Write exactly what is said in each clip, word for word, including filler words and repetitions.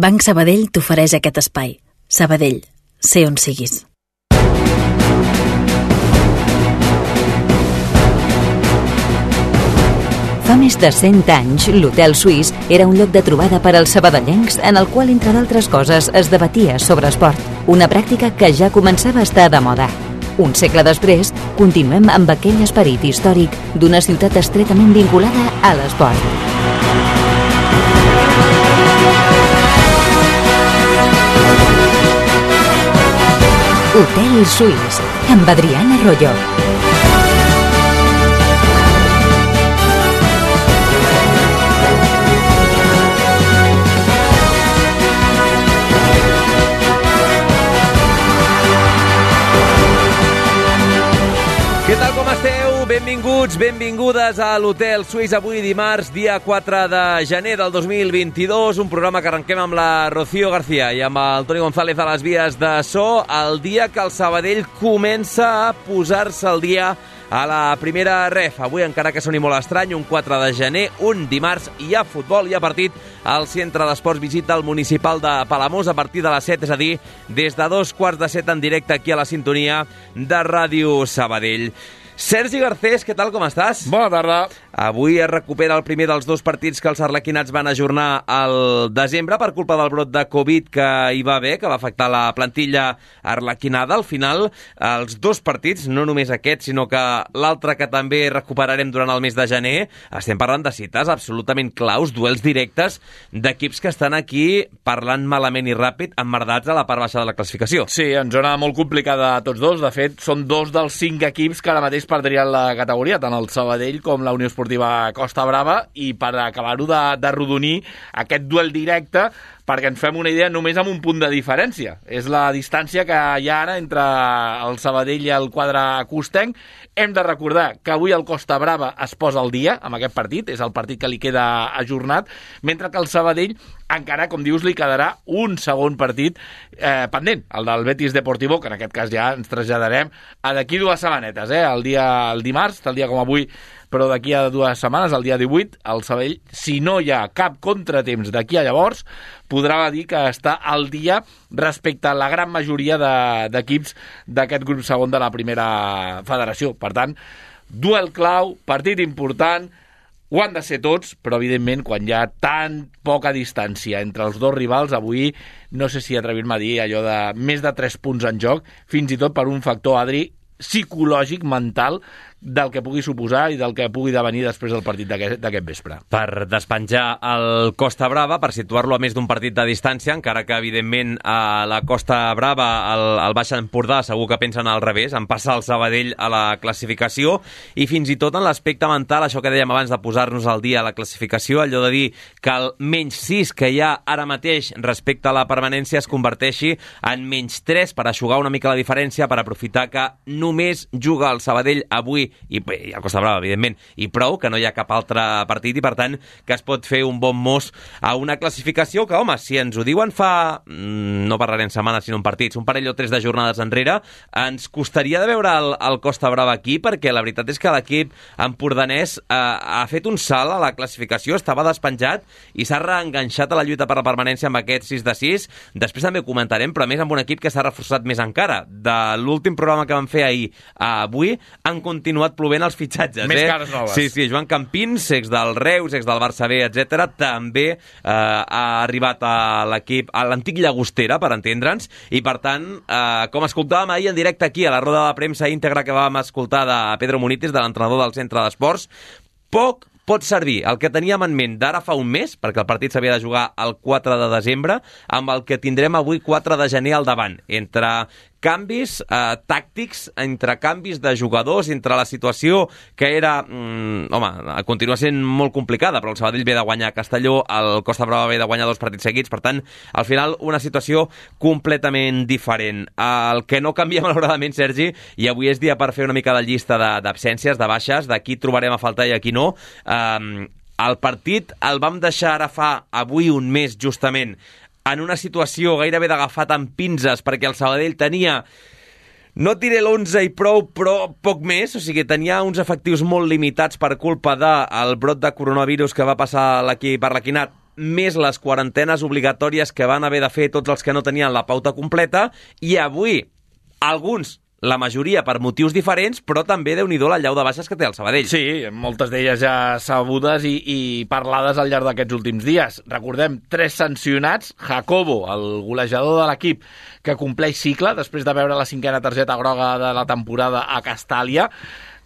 Banc Sabadell t'ofereix aquest espai. Sabadell, sé on siguis. Fa més de cent anys, l'Hotel Suís era un lloc de trobada per als sabadellencs en el qual, entre d'altres coses, es debatia sobre esport. Una pràctica que ja començava a estar de moda. Un segle després, continuem amb aquell esperit històric d'una ciutat estretament vinculada a l'esport. Hotel Suís, amb Adriana Arroyo. Què tal, com esteu? Benvinguts, benvingudes a l'Hotel Suís. Avui dimarts, dia quatre de gener del dos mil vint-i-dos, un programa que arrenquem amb la Rocío García i amb el Toni González a les vies de so, el dia que el Sabadell comença a posar-se al dia a la primera ref. Avui, encara que soni molt estrany, un quatre de gener, un dimarts, hi ha futbol, hi ha partit. El Centre d'Esports visita el Municipal de Palamós a partir de les set, és a dir, des de dos quarts de set en directe aquí a la sintonia de Ràdio Sabadell. Sergi Garcés, què tal, com estàs? Bona tarda. Avui es recupera el primer dels dos partits que els arlequinats van ajornar al desembre per culpa del brot de Covid que hi va haver, que va afectar la plantilla arlequinada. Al final, els dos partits, no només aquest, sinó que l'altre que també recuperarem durant el mes de gener, estem parlant de cites absolutament claus, duels directes d'equips que estan aquí parlant malament i ràpid, emmerdats a la part baixa de la classificació. Sí, en zona molt complicada a tots dos. De fet, són dos dels cinc equips que ara mateix perdrien la categoria, tant el Sabadell com la Unió Esportiva Costa Brava, i per acabar-ho de, de rodonir aquest duel directe, perquè ens fem una idea, només amb un punt de diferència. És la distància que hi ha ara entre el Sabadell i el quadre costenc. Hem de recordar que avui el Costa Brava es posa al dia amb aquest partit, és el partit que li queda ajornat, mentre que el Sabadell encara, com dius, li quedarà un segon partit eh, pendent, el del Betis Deportivo, que en aquest cas ja ens traslladarem a d'aquí dues setmanetes, eh? el, dia, el dimarts, tal dia com avui, però d'aquí a dues setmanes, el dia divuit, el Sabadell, si no hi ha cap contratemps d'aquí a llavors, podrà dir que està al dia respecte a la gran majoria d'equips de, d'aquest grup segon de la primera federació. Per tant, duel clau, partit important, ho han de ser tots, però evidentment quan hi ha tan poca distància entre els dos rivals, avui no sé si atrevir-me a dir allò de més de tres punts en joc, fins i tot per un factor, Adri, psicològic, mental, del que pugui suposar i del que pugui devenir després del partit d'aquest vespre. Per despenjar el Costa Brava, per situar-lo a més d'un partit de distància, encara que, evidentment, a la Costa Brava, al, al Baix Empordà, segur que pensen al revés, en passar el Sabadell a la classificació, i fins i tot en l'aspecte mental, això que dèiem abans de posar-nos al dia a la classificació, allò de dir que el menys sis que hi ha ara mateix respecte a la permanència es converteixi en menys tres per aixugar una mica la diferència, per aprofitar que només juga el Sabadell avui i, i el Costa Brava, evidentment, i prou, que no hi ha cap altre partit i, per tant, que es pot fer un bon mos a una classificació que, home, si ens ho diuen fa, no parlarem setmanes, sinó en partits, un parell o tres de jornades enrere, ens costaria de veure el, el Costa Brava aquí, perquè la veritat és que l'equip empordanès eh, ha fet un salt a la classificació, estava despenjat i s'ha reenganxat a la lluita per la permanència amb aquest sis de sis. Després també ho comentarem, però a més amb un equip que s'ha reforçat més encara. De l'últim programa que vam fer ahir a avui, han continuat plovent els fitxatges. Més eh? cares noves. Sí, sí, Joan Campins, ex del Reus, ex del Barça B, etcètera, també eh, ha arribat a l'equip, a l'antic Llagostera, per entendre'ns, i per tant, eh, com escoltàvem ahir en directe aquí, a la roda de premsa íntegra que vam escoltar de Pedro Munitis, de l'entrenador del Centre d'Esports, poc pot servir el que teníem en ment d'ara fa un mes, perquè el partit s'havia de jugar el quatre de desembre, amb el que tindrem avui quatre de gener al davant, entre canvis eh, tàctics, entre canvis de jugadors, entre la situació que era, mm, home, continua sent molt complicada, però el Sabadell ve de guanyar a Castelló, el Costa Brava ve de guanyar dos partits seguits, per tant, al final, una situació completament diferent. El que no canvia, malauradament, Sergi, i avui és dia per fer una mica de llista d'absències, de, de baixes, de qui trobarem a faltar i a qui no. Um, el partit el vam deixar ara fa avui un mes, justament, en una situació gairebé d'agafat amb pinces, perquè el Sabadell tenia, no et diré l'onze i prou, però poc més, o sigui, tenia uns efectius molt limitats per culpa del brot de coronavirus que va passar l'equip arlequinat, més les quarantenes obligatòries que van haver de fer tots els que no tenien la pauta completa, i avui alguns, la majoria per motius diferents, però també déu-n'hi-do la llau de baixes que té el Sabadell. Sí, moltes d'elles ja sabudes i, i parlades al llarg d'aquests últims dies. Recordem, tres sancionats, Jacobo, el golejador de l'equip, que compleix cicle després de veure la cinquena targeta groga de la temporada a Castàlia,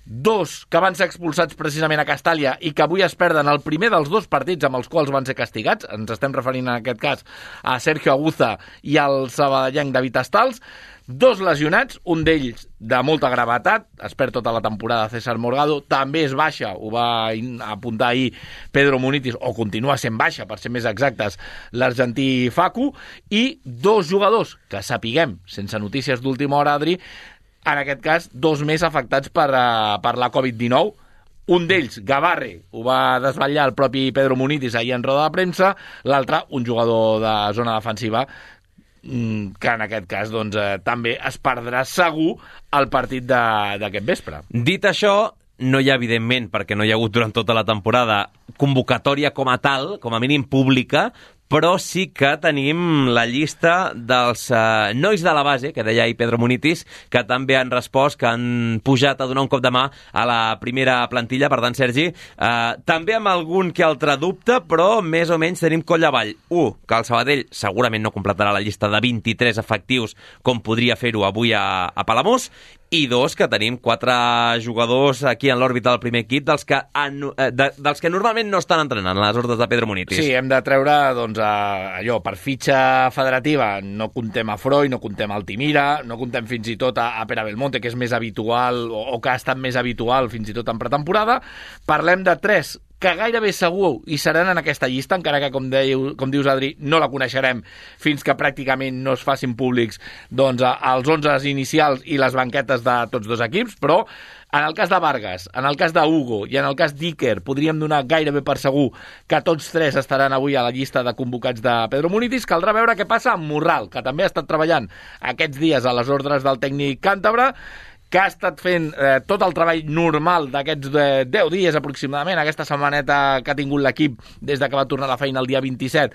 dos que van ser expulsats precisament a Castàlia i que avui es perden el primer dels dos partits amb els quals van ser castigats, ens estem referint en aquest cas a Sergio Aguza i al sabadellenc David Astals, dos lesionats, un d'ells de molta gravetat, es perd tota la temporada César Morgado, també és baixa, ho va apuntar ahir Pedro Munitis, o continua sent baixa, per ser més exactes, l'argentí Facu, i dos jugadors que sapiguem, sense notícies d'última hora, Adri, en aquest cas, dos més afectats per, uh, per la covid dinou. Un d'ells, Gavarre, ho va desvetllar el propi Pedro Munitis ahir en roda de premsa, l'altre, un jugador de zona defensiva, que en aquest cas doncs, eh, també es perdrà segur el partit d'aquest vespre. Dit això, no hi ha, evidentment, perquè no hi ha hagut durant tota la temporada convocatòria com a tal, com a mínim pública, però sí que tenim la llista dels eh, nois de la base, que deia ahir Pedro Munitis, que també han respost, que han pujat a donar un cop de mà a la primera plantilla. Per tant, Sergi, eh, també amb algun que altre dubte, però més o menys tenim coll avall. Un, que el Sabadell segurament no completarà la llista de vint-i-tres efectius com podria fer-ho avui a, a Palamós, i dos, que tenim quatre jugadors aquí en l'òrbita del primer equip dels que, de, dels que normalment no estan entrenant a les ordres de Pedro Munitis. Sí, hem de treure doncs, a, allò, per fitxa federativa no contem a Freud, no contem a Altimira, no contem fins i tot a, a Pere Belmonte, que és més habitual, o, o que ha estat més habitual fins i tot en pretemporada. Parlem de tres que gairebé segur hi seran en aquesta llista, encara que, com, deiu, com dius, Adri, no la coneixerem fins que pràcticament no es facin públics doncs, els onze inicials i les banquetes de tots dos equips, però en el cas de Vargas, en el cas d'Hugo i en el cas d'Iker podríem donar gairebé per segur que tots tres estaran avui a la llista de convocats de Pedro Munitis. Caldrà veure què passa amb Morral, que també ha estat treballant aquests dies a les ordres del tècnic càntabre, que ha estat fent eh, tot el treball normal d'aquests eh, deu dies aproximadament, aquesta setmaneta que ha tingut l'equip des de que va tornar a la feina el dia vint-i-set,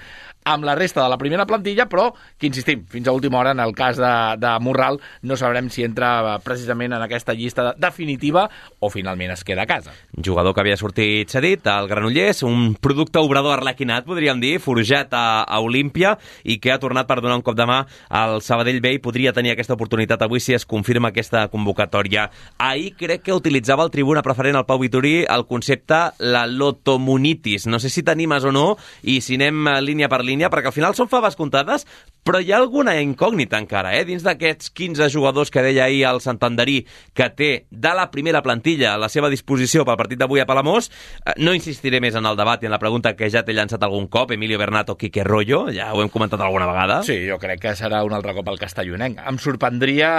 amb la resta de la primera plantilla, però que insistim, fins a última hora en el cas de, de Morral no sabrem si entra precisament en aquesta llista definitiva o finalment es queda a casa. Jugador que havia sortit cedit al Granollers, un producte obrador arlequinat, podríem dir, forjat a, a Olímpia, i que ha tornat per donar un cop de mà al Sabadell B i podria tenir aquesta oportunitat avui si es confirma aquesta convocatòria. Ahir crec que utilitzava el tribuna preferent al Pau Vitorí el concepte la lotomunitis. No sé si t'animes o no i si anem línia per línia, perquè al final són faves comptades, però hi ha alguna incògnita encara, eh? Dins d'aquests quinze jugadors que deia ahir el santanderí que té de la primera plantilla a la seva disposició pel partit d'avui a Palamós, no insistiré més en el debat i en la pregunta que ja t'he llançat algun cop, Emilio Bernat o Quique Rollo, ja ho hem comentat alguna vegada. Sí, jo crec que serà un altre cop el castellonenc. Em sorprendria,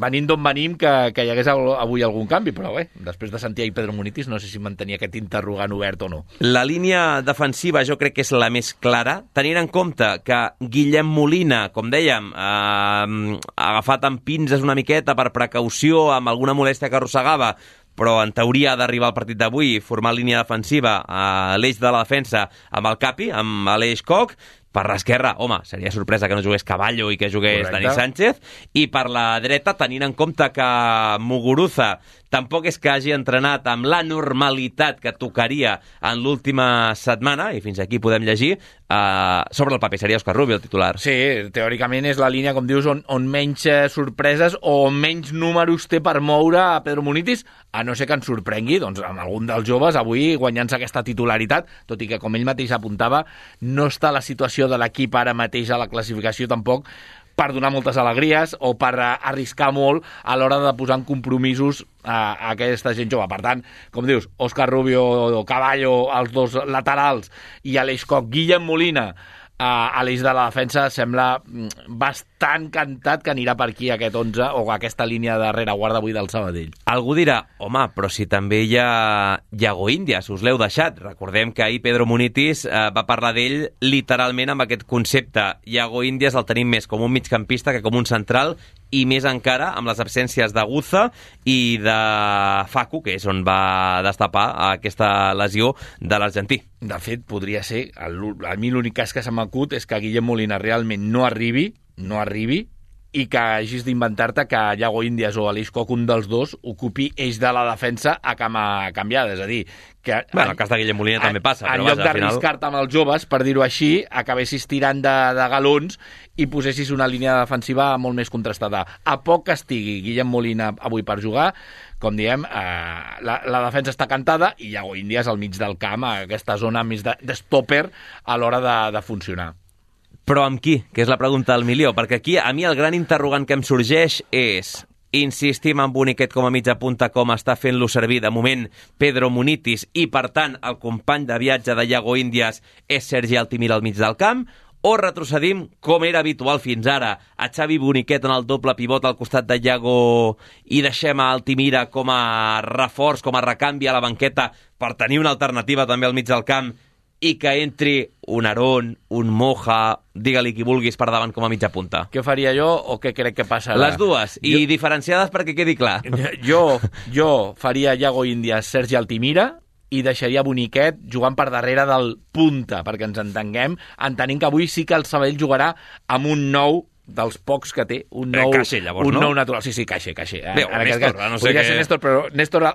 venint d'on venim, que, que hi hagués avui algun canvi, però bé, després de sentir ahir Pedro Munitis, no sé si mantenia aquest interrogant obert o no. La línia defensiva jo crec que és la més clara, tenint en compte que Guillem Molina, com dèiem, eh, agafat amb pinces una miqueta per precaució, amb alguna molèstia que arrossegava, però en teoria ha d'arribar al partit d'avui i formar línia defensiva a l'eix de la defensa amb el Capi, amb l'Eix Koch. Per l'esquerra, home, seria sorpresa que no jugués Caballo i que jugués Correcte. Dani Sánchez. I per la dreta, tenint en compte que Muguruza tampoc és que hagi entrenat amb la normalitat que tocaria en l'última setmana, i fins aquí podem llegir, eh, sobre el paper seria Òscar Rubio, el titular. Sí, teòricament és la línia, com dius, on, on menys sorpreses o menys números té per moure a Pedro Munitis, a no ser que ens sorprengui, doncs, amb algun dels joves avui guanyant-se aquesta titularitat, tot i que, com ell mateix apuntava, no està la situació de l'equip ara mateix a la classificació tampoc per donar moltes alegries o per arriscar molt a l'hora de posar en compromisos a, a aquesta gent jove. Per tant, com dius, Òscar Rubio o Caballo, els dos laterals, i a l'Eix Koch, Guillem Molina a l'eix de la defensa, sembla bastant cantat que anirà per aquí aquest onze o aquesta línia de rereguarda avui del Sabadell. Algú dirà, home, però si també hi ha Iago Índias, us l'heu deixat. Recordem que ahir Pedro Munitis eh, va parlar d'ell literalment amb aquest concepte. Iago Índias el tenim més com un migcampista que com un central, i més encara amb les absències de Guza i de Facu, que és on va destapar aquesta lesió de l'argentí. De fet, podria ser, el, a mi l'únic cas que se m'acut és que Guillem Molina realment no arribi, no arribi, i que hagis d'inventar-te que Iago Índias o Aleix Koch, un dels dos, ocupi eix de la defensa a cama canviada. És a dir, que... Bé, en el cas de Guillem Molina també passa. En però lloc vaja, d'arriscar-te amb els joves, per dir-ho així, acabessis tirant de, de galons i posessis una línia defensiva molt més contrastada. A poc que estigui Guillem Molina avui per jugar, com diem, eh, la, la defensa està cantada i Iago Índias al mig del camp, a aquesta zona més de, de stopper a l'hora de, de funcionar. Però amb qui? Que és la pregunta del milió. Perquè aquí, a mi, el gran interrogant que em sorgeix és... Insistim en Boniquet com a mitja punta, com està fent-lo servir de moment Pedro Munitis, i per tant el company de viatge de Iago Índias és Sergi Altimira al mig del camp, o retrocedim, com era habitual fins ara, a Xavi Boniquet en el doble pivot al costat de Iago i deixem a Altimira com a reforç, com a recanvi a la banqueta per tenir una alternativa també al mig del camp i que entri un Aarón, un Moja, digue-li qui vulguis per davant com a mitja punta. Què faria jo o què crec que passarà? Les dues, i jo... diferenciades perquè quedi clar. Jo, jo faria Iago Índias, Sergi Altimira, i deixaria Boniquet jugant per darrere del punta, perquè ens entenguem, entenent que avui sí que el Sabadell jugarà amb un nou dels pocs que té, un nou, eh, Caixer, llavors, un no? nou natural. Sí, sí, Caixer, Caixer. Bé, o Néstor, cas, no sé podria que... ser Néstor, però Néstor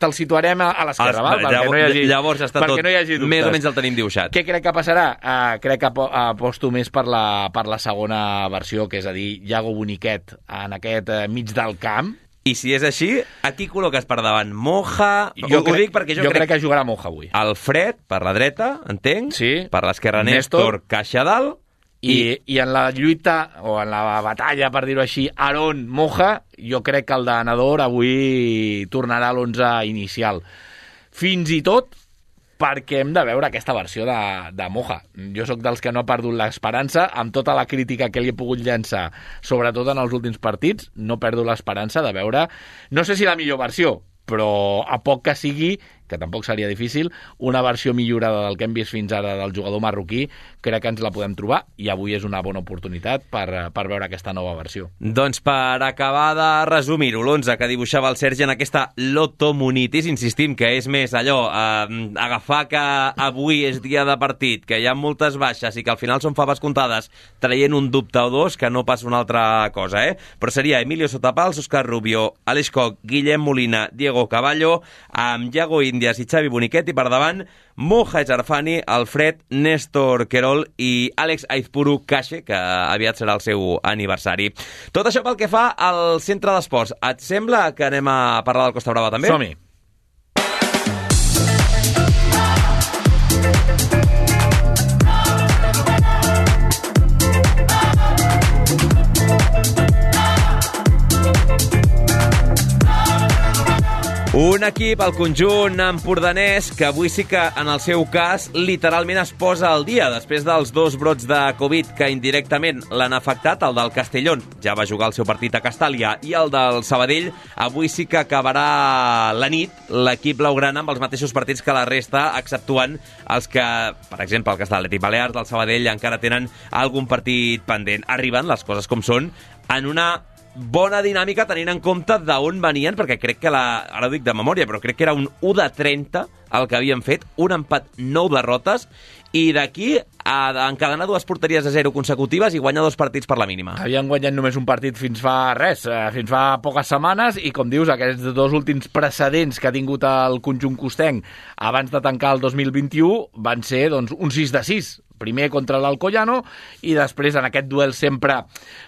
te'l situarem a, a l'esquerra, val? Perquè Llavors, no hi hagi, llavors està tot, no hi hagi dubtes. Més o menys el tenim dibuixat. Què crec que passarà? Uh, crec que aposto més per la, per la segona versió, que és a dir, Iago Boniquet en aquest uh, mig del camp. I si és així, a qui col·loques per davant? Moja? Jo, ho crec, dic perquè jo, jo crec, crec que jugarà Moja avui. Alfred, per la dreta, entenc. Sí. Per l'esquerra, Néstor, Néstor. Caixa dalt. I, I en la lluita, o en la batalla, per dir-ho així, Aarón, Moja, jo crec que el de Nador avui tornarà a l'onze inicial. Fins i tot perquè hem de veure aquesta versió de, de Moja. Jo sóc dels que no ha perdut l'esperança, amb tota la crítica que li he pogut llançar, sobretot en els últims partits, no perdo l'esperança de veure, no sé si la millor versió, però a poc que sigui, que tampoc seria difícil, una versió millorada del que hem vist fins ara del jugador marroquí, crec que ens la podem trobar i avui és una bona oportunitat per, per veure aquesta nova versió. Doncs per acabar de resumir-ho, l'onze que dibuixava el Sergi en aquesta Lotomunitis, insistim que és més allò, eh, agafar que avui és dia de partit, que hi ha moltes baixes i que al final són faves comptades, traient un dubte o dos, que no passa una altra cosa, eh? Però seria Emilio Sotapals, Òscar Rubio, Aleix Koch, Guillem Molina, Diego Caballo, amb Iago Índias i Xavi Boniquet, i per davant Moja Jarfani, Alfred, Néstor Querol i Àlex Aizpuru Caixer, que aviat serà el seu aniversari. Tot això pel que fa al centre d'esports. Et sembla que anem a parlar del Costa Brava també? Som-hi. Un equip, el conjunt empordanès, que avui sí que, en el seu cas, literalment es posa al dia després dels dos brots de Covid que indirectament l'han afectat. El del Castellón ja va jugar el seu partit a Castàlia i el del Sabadell avui sí que acabarà la nit l'equip blaugrana amb els mateixos partits que la resta, exceptuant els que, per exemple, el cas de l'Atlètic Balears, del Sabadell, encara tenen algun partit pendent. Arriben les coses com són en una bona dinàmica tenint en compte d'on venien, perquè crec que la, ara ho dic de memòria, però crec que era un u de trenta el que havien fet, un empat, nou derrotes, i d'aquí a encadenar dues porteries a zero consecutives i guanyar dos partits per la mínima. Havien guanyat només un partit fins fa res, fins fa poques setmanes, i com dius, aquests dos últims precedents que ha tingut el conjunt costenc abans de tancar el dos mil vint-i-u van ser doncs, un sis de sis. Primer contra l'Alcoyano i després en aquest duel sempre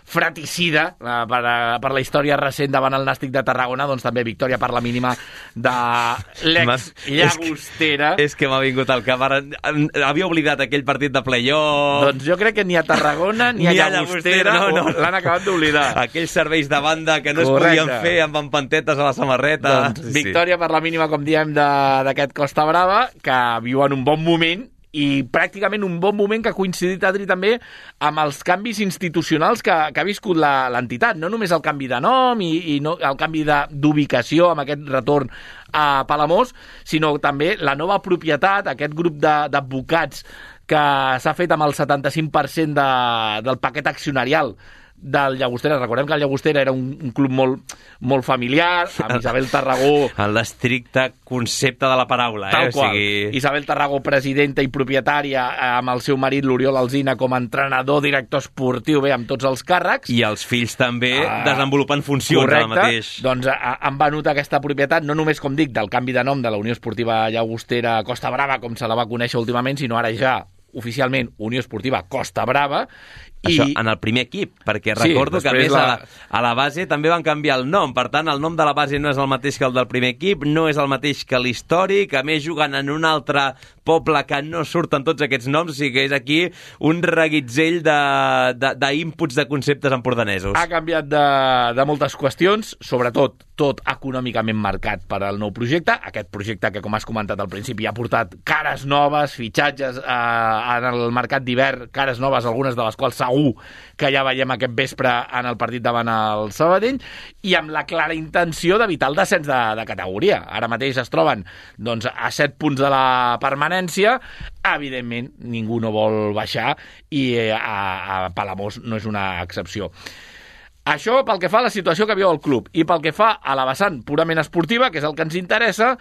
fratricida per, per la història recent davant el Nàstic de Tarragona, doncs també victòria per la mínima de l'ex Llagostera. És que, és que m'ha vingut al cap. Ara, havia oblidat aquell partit de play-off. Doncs jo crec que ni a Tarragona ni, ni a Llagostera, Llagostera no, no. l'han acabat d'oblidar. Aquells serveis de banda que no Correcte. Es podien fer amb empantetes a la samarreta. Doncs, sí. Victòria per la mínima, com diem, d'aquest Costa Brava, que viu en un bon moment i pràcticament un bon moment que ha coincidit, Adri, també amb els canvis institucionals que, que ha viscut l'entitat. No només el canvi de nom i, i no, el canvi d'ubicació amb aquest retorn a Palamós, sinó també la nova propietat, aquest grup d'advocats que s'ha fet amb el setanta-cinc per cent de, del paquet accionarial del Llagostera. Recordem que el Llagostera era un, un club molt, molt familiar, amb Isabel Tarragó... En l'estricte concepte de la paraula, eh? Tal qual. O sigui... Isabel Tarragó, presidenta i propietària, amb el seu marit, l'Oriol Alsina, com a entrenador, director esportiu, bé, amb tots els càrrecs. I els fills també ah, desenvolupant funcions correcte. ara mateix. Doncs a, han venut aquesta propietat, no només, com dic, del canvi de nom de la Unió Esportiva Llagostera Costa Brava, com se la va conèixer últimament, sinó ara ja oficialment Unió Esportiva Costa Brava. Això I... en el primer equip, perquè sí, recordo que a més la... a, la, a la base també van canviar el nom, per tant el nom de la base no és el mateix que el del primer equip, no és el mateix que l'històric, a més jugant en un altre poble que no surten tots aquests noms, o sigui que és aquí un reguitzell d'inputs de, de, de conceptes empordanesos. Ha canviat de, de moltes qüestions, sobretot tot econòmicament marcat per al nou projecte, aquest projecte que, com has comentat al principi, ha portat cares noves, fitxatges eh, en el mercat d'hivern, cares noves, algunes de les quals segur que ja veiem aquest vespre en el partit davant el Sabadell, i amb la clara intenció d'evitar el descens de, de categoria. Ara mateix es troben doncs, a set punts de la permanència, evidentment ningú no vol baixar i eh, a, a Palamós no és una excepció. Això pel que fa a la situació que viu el club, i pel que fa a la vessant purament esportiva, que és el que ens interessa,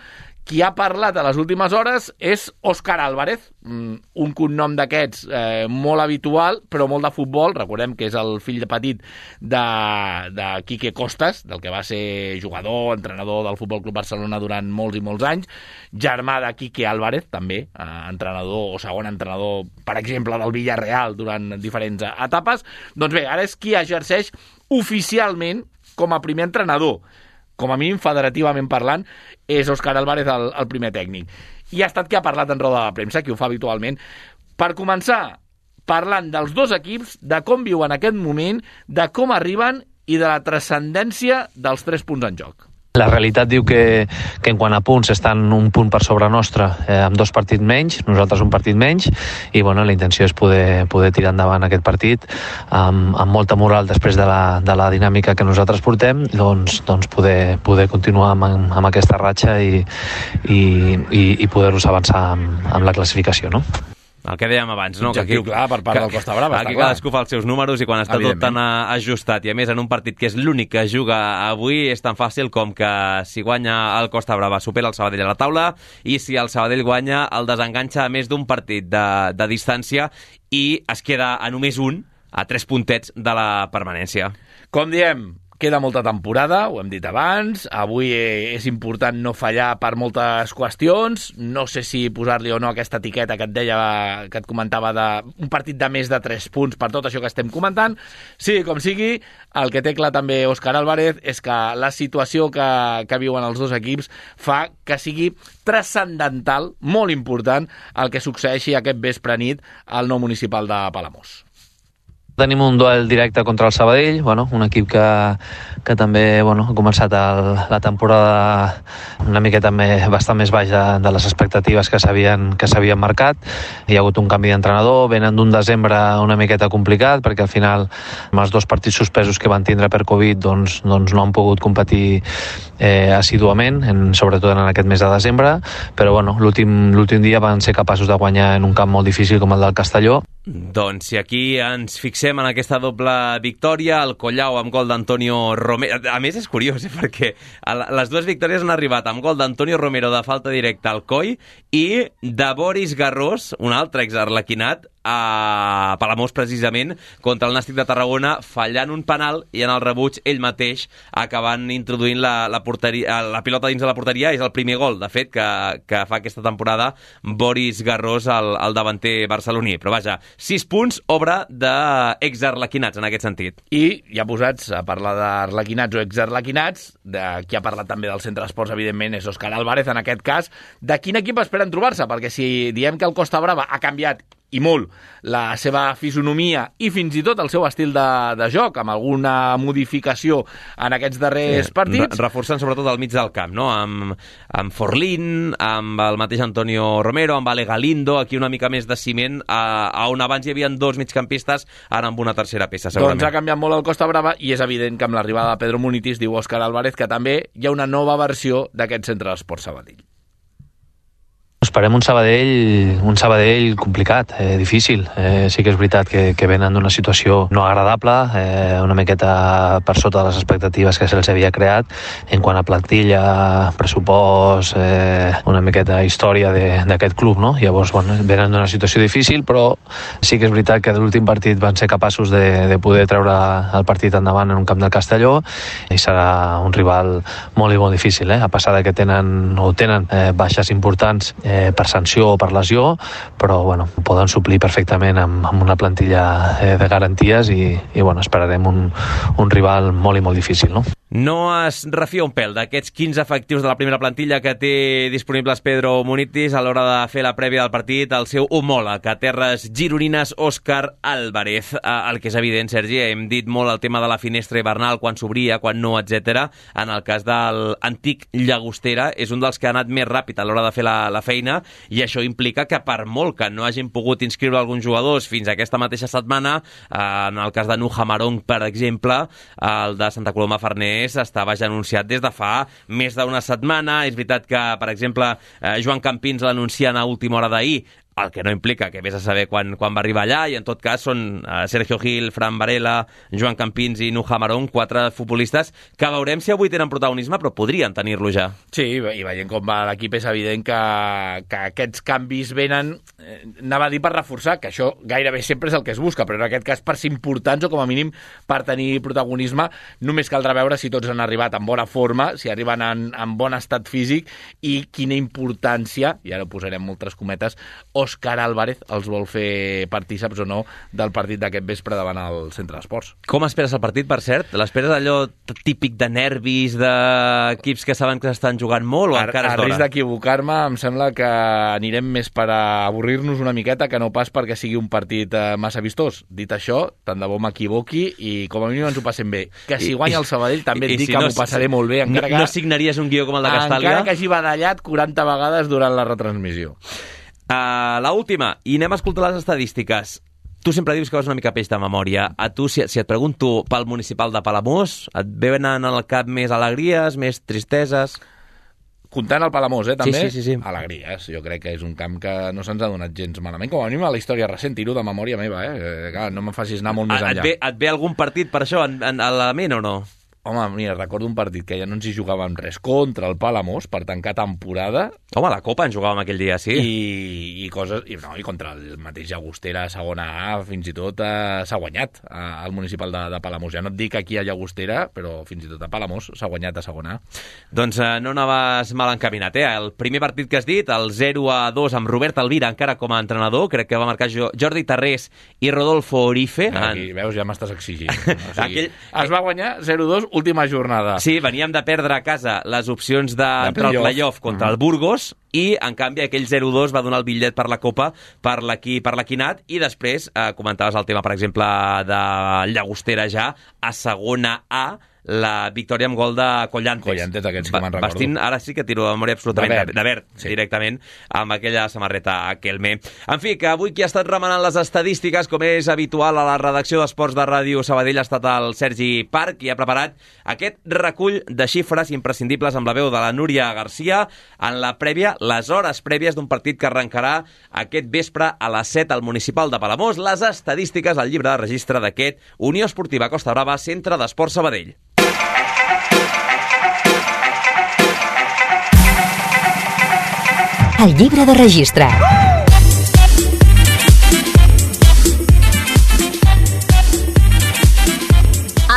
qui ha parlat a les últimes hores és Òscar Álvarez, un cognom d'aquests eh, molt habitual, però molt de futbol. Recordem que és el fill petit de, de Quique Costas, del que va ser jugador, entrenador del Futbol Club Barcelona durant molts i molts anys, germà de Quique Álvarez, també, eh, entrenador o segon entrenador, per exemple, del Villarreal durant diferents etapes. Doncs bé, ara és qui exerceix oficialment com a primer entrenador, com a mínim federativament parlant, és Òscar Álvarez el, el primer tècnic. I ha estat qui ha parlat en roda de premsa, qui ho fa habitualment, per començar parlant dels dos equips, de com viuen aquest moment, de com arriben i de la transcendència dels tres punts en joc. La realitat diu que, que en quant a punts estan un punt per sobre nostre, eh, amb dos partits menys, nosaltres un partit menys, i bueno, la intenció és poder, poder tirar endavant aquest partit amb, amb molta moral després de la, de la dinàmica que nosaltres portem, doncs, doncs poder, poder continuar amb, amb aquesta ratxa i, i, i, i poder-los avançar amb, amb la classificació, no? El que dèiem abans, no? Objectiu que aquí, clar per part que, del Costa Brava. Aquí cadascú fa els seus números i quan està tot tan ajustat i a més en un partit que és l'únic que juga avui és tan fàcil com que si guanya el Costa Brava supera el Sabadell a la taula i si el Sabadell guanya el desenganxa a més d'un partit de, de distància i es queda a només un, a tres puntets de la permanència. Com diem, queda molta temporada, ho hem dit abans, avui és important no fallar per moltes qüestions, no sé si posar-li o no aquesta etiqueta que et deia, que et comentava d'un partit de més de tres punts per tot això que estem comentant. Sí, com sigui, el que té clar també Òscar Álvarez és que la situació que, que viuen els dos equips fa que sigui transcendental, molt important, el que succeeixi aquest vespre nit al nou municipal de Palamós. Tenim un duel directe contra el Sabadell, bueno, un equip que, que també bueno, ha començat el, la temporada una miqueta més, bastant més baix de, de les expectatives que s'havien que s'havien marcat. Hi ha hagut un canvi d'entrenador, venen d'un desembre una miqueta complicat, perquè al final amb els dos partits suspesos que van tindre per Covid doncs, doncs no han pogut competir eh, assíduament, en, sobretot en aquest mes de desembre, però bueno, l'últim l'últim dia van ser capaços de guanyar en un camp molt difícil com el del Castelló. Doncs si aquí ens fixem en aquesta doble victòria, el Collau amb gol d'Antonio Romero. A més, és curiós, eh, perquè les dues victòries han arribat amb gol d'Antonio Romero de falta directa al coll i de Boris Garrós, un altre exarlequinat, a Palamós precisament, contra el Nàstic de Tarragona, fallant un penal i en el rebuig ell mateix acabant introduint la, la, porteria, la pilota dins de la porteria. És el primer gol, de fet, que, que fa aquesta temporada Boris Garrós, el, el davanter barceloní. Però vaja, sis punts, obra d'exarlequinats en aquest sentit. I ja posats a parlar d'arlequinats o exarlequinats, de qui ha parlat també del Centre d'Esports, evidentment, és Òscar Álvarez, en aquest cas. De quin equip esperen trobar-se? Perquè si diem que el Costa Brava ha canviat i molt la seva fisonomia i fins i tot el seu estil de, de joc, amb alguna modificació en aquests darrers sí, partits. Re reforçant sobretot al mig del camp, no? Amb, amb Forlín, amb el mateix Antonio Romero, amb Ale Galindo, aquí una mica més de ciment, a, a on abans hi havia dos migcampistes, ara amb una tercera peça, segurament. Doncs ha canviat molt el Costa Brava i és evident que amb l'arribada de Pedro Munitis, diu Òscar Álvarez, que també hi ha una nova versió d'aquest Centre d'Esports Sabadell. Esperem un Sabadell, un Sabadell complicat, eh, difícil. Eh, sí que és veritat que, que venen d'una situació no agradable, eh, una miqueta per sota de les expectatives que se'ls havia creat en quant a plantilla, pressupost, eh, una miqueta història d'aquest club, no? Llavors, bueno, venen d'una situació difícil, però sí que és veritat que de l'últim partit van ser capaços de, de poder treure el partit endavant en un camp del Castelló i serà un rival molt i molt difícil, eh? A passar de que tenen o tenen eh, baixes importants eh, per sanció o per lesió, però bueno, poden suplir perfectament amb, amb una plantilla eh, de garanties i, i bueno, esperarem un, un rival molt i molt difícil, no? No es refia un pèl d'aquests quinze efectius de la primera plantilla que té disponibles Pedro Munitis a l'hora de fer la prèvia del partit, el seu homòleg a terres gironines, Òscar Álvarez. El que és evident, Sergi, hem dit molt el tema de la finestra hivernal, quan s'obria, quan no, etcètera. En el cas del antic Llagostera, és un dels que ha anat més ràpid a l'hora de fer la, la feina, i això implica que per molt que no hagin pogut inscriure alguns jugadors fins a aquesta mateixa setmana, en el cas de Nuja Marong, per exemple, el de Santa Coloma Farners estava ja anunciat des de fa més d'una setmana. És veritat que, per exemple, Joan Campins l'anuncien a última hora d'ahir, el que no implica que vés a saber quan, quan va arribar allà, i en tot cas són uh, Sergio Gil, Fran Varela, Joan Campins i Nuja Marong, quatre futbolistes que veurem si avui tenen protagonisme, però podrien tenir-lo ja. Sí, i veient com va l'equip és evident que, que aquests canvis venen, eh, anava a dir per reforçar, que això gairebé sempre és el que es busca, però en aquest cas per ser importants o com a mínim per tenir protagonisme. Només caldrà veure si tots han arribat en bona forma, si arriben en, en bon estat físic i quina importància, i ara ho posarem moltes cometes, Òscar Álvarez els vol fer partíceps o no del partit d'aquest vespre davant el Centre d'Esports. Com esperes el partit, per cert? L'esperes allò típic de nervis, d'equips que saben que s'estan jugant molt, o encara és d'hora? A risc d'equivocar-me, em sembla que anirem més per a avorrir-nos una miqueta que no pas perquè sigui un partit massa vistós. Dit això, tant de bo m'equivoqui i com a mínim ens ho passem bé. Que si guanya el Sabadell també et dic que m'ho passaré molt bé. No, que, no signaries un guió com el de Castàlia? Encara que hagi badallat quaranta vegades durant la retransmissió. Uh, la última, i anem a escoltar les estadístiques. Tu sempre dius que vas una mica peix de memòria. A tu, si, si et pregunto pel municipal de Palamós, et venen al cap més alegries, més tristeses? Comptant el Palamós, eh, també? Sí, sí, sí, sí. Alegries. Jo crec que és un camp que no se'ns ha donat gens malament. Com a mínim a la història recent, tiro de memòria meva, eh? Clar, no me'n facis anar molt més enllà. Et ve, et ve algun partit per això en, en, a la ment o no? Home, mira, recordo un partit que ja no ens hi jugàvem res contra el Palamós per tancar temporada. Home, la Copa en jugàvem aquell dia, sí. I, i coses... I, no, i contra el mateix Llagostera a segona A, fins i tot eh, s'ha guanyat eh, al municipal de, de Palamós. Ja no et dic aquí a Llagostera, però fins i tot a Palamós s'ha guanyat a segona A. Doncs eh, no anaves mal encaminat, eh? El primer partit que has dit, el zero a dos amb Robert Alvira encara com a entrenador, crec que va marcar Jordi Tarrés i Rodolfo Orife. Aquí, en... veus, ja m'estàs exigint. O sigui, Aquell... Es va guanyar zero a dos, última jornada. Sí, veníem de perdre a casa les opcions d'entrar al playoff contra el Burgos, i en canvi aquell zero a dos va donar el bitllet per la Copa per l'equinat, i després eh, comentaves el tema, per exemple, de Llagostera ja a segona A, la victòria amb gol de Collantes. Collantes, aquests que me'n recordo. Vestint, ara sí que tiro de memòria absolutament, de verd, de verd sí. Directament, amb aquella samarreta Kelme. En fi, que avui qui ha estat remenant les estadístiques, com és habitual a la redacció d'Esports de Ràdio Sabadell, ha estat el Sergi Parc, i ha preparat aquest recull de xifres imprescindibles amb la veu de la Núria Garcia en la prèvia, les hores prèvies d'un partit que arrencarà aquest vespre a les set al municipal de Palamós. Les estadístiques al llibre de registre d'aquest Unió Esportiva Costa Brava, Centre d'Esports Sabadell. El llibre de registre.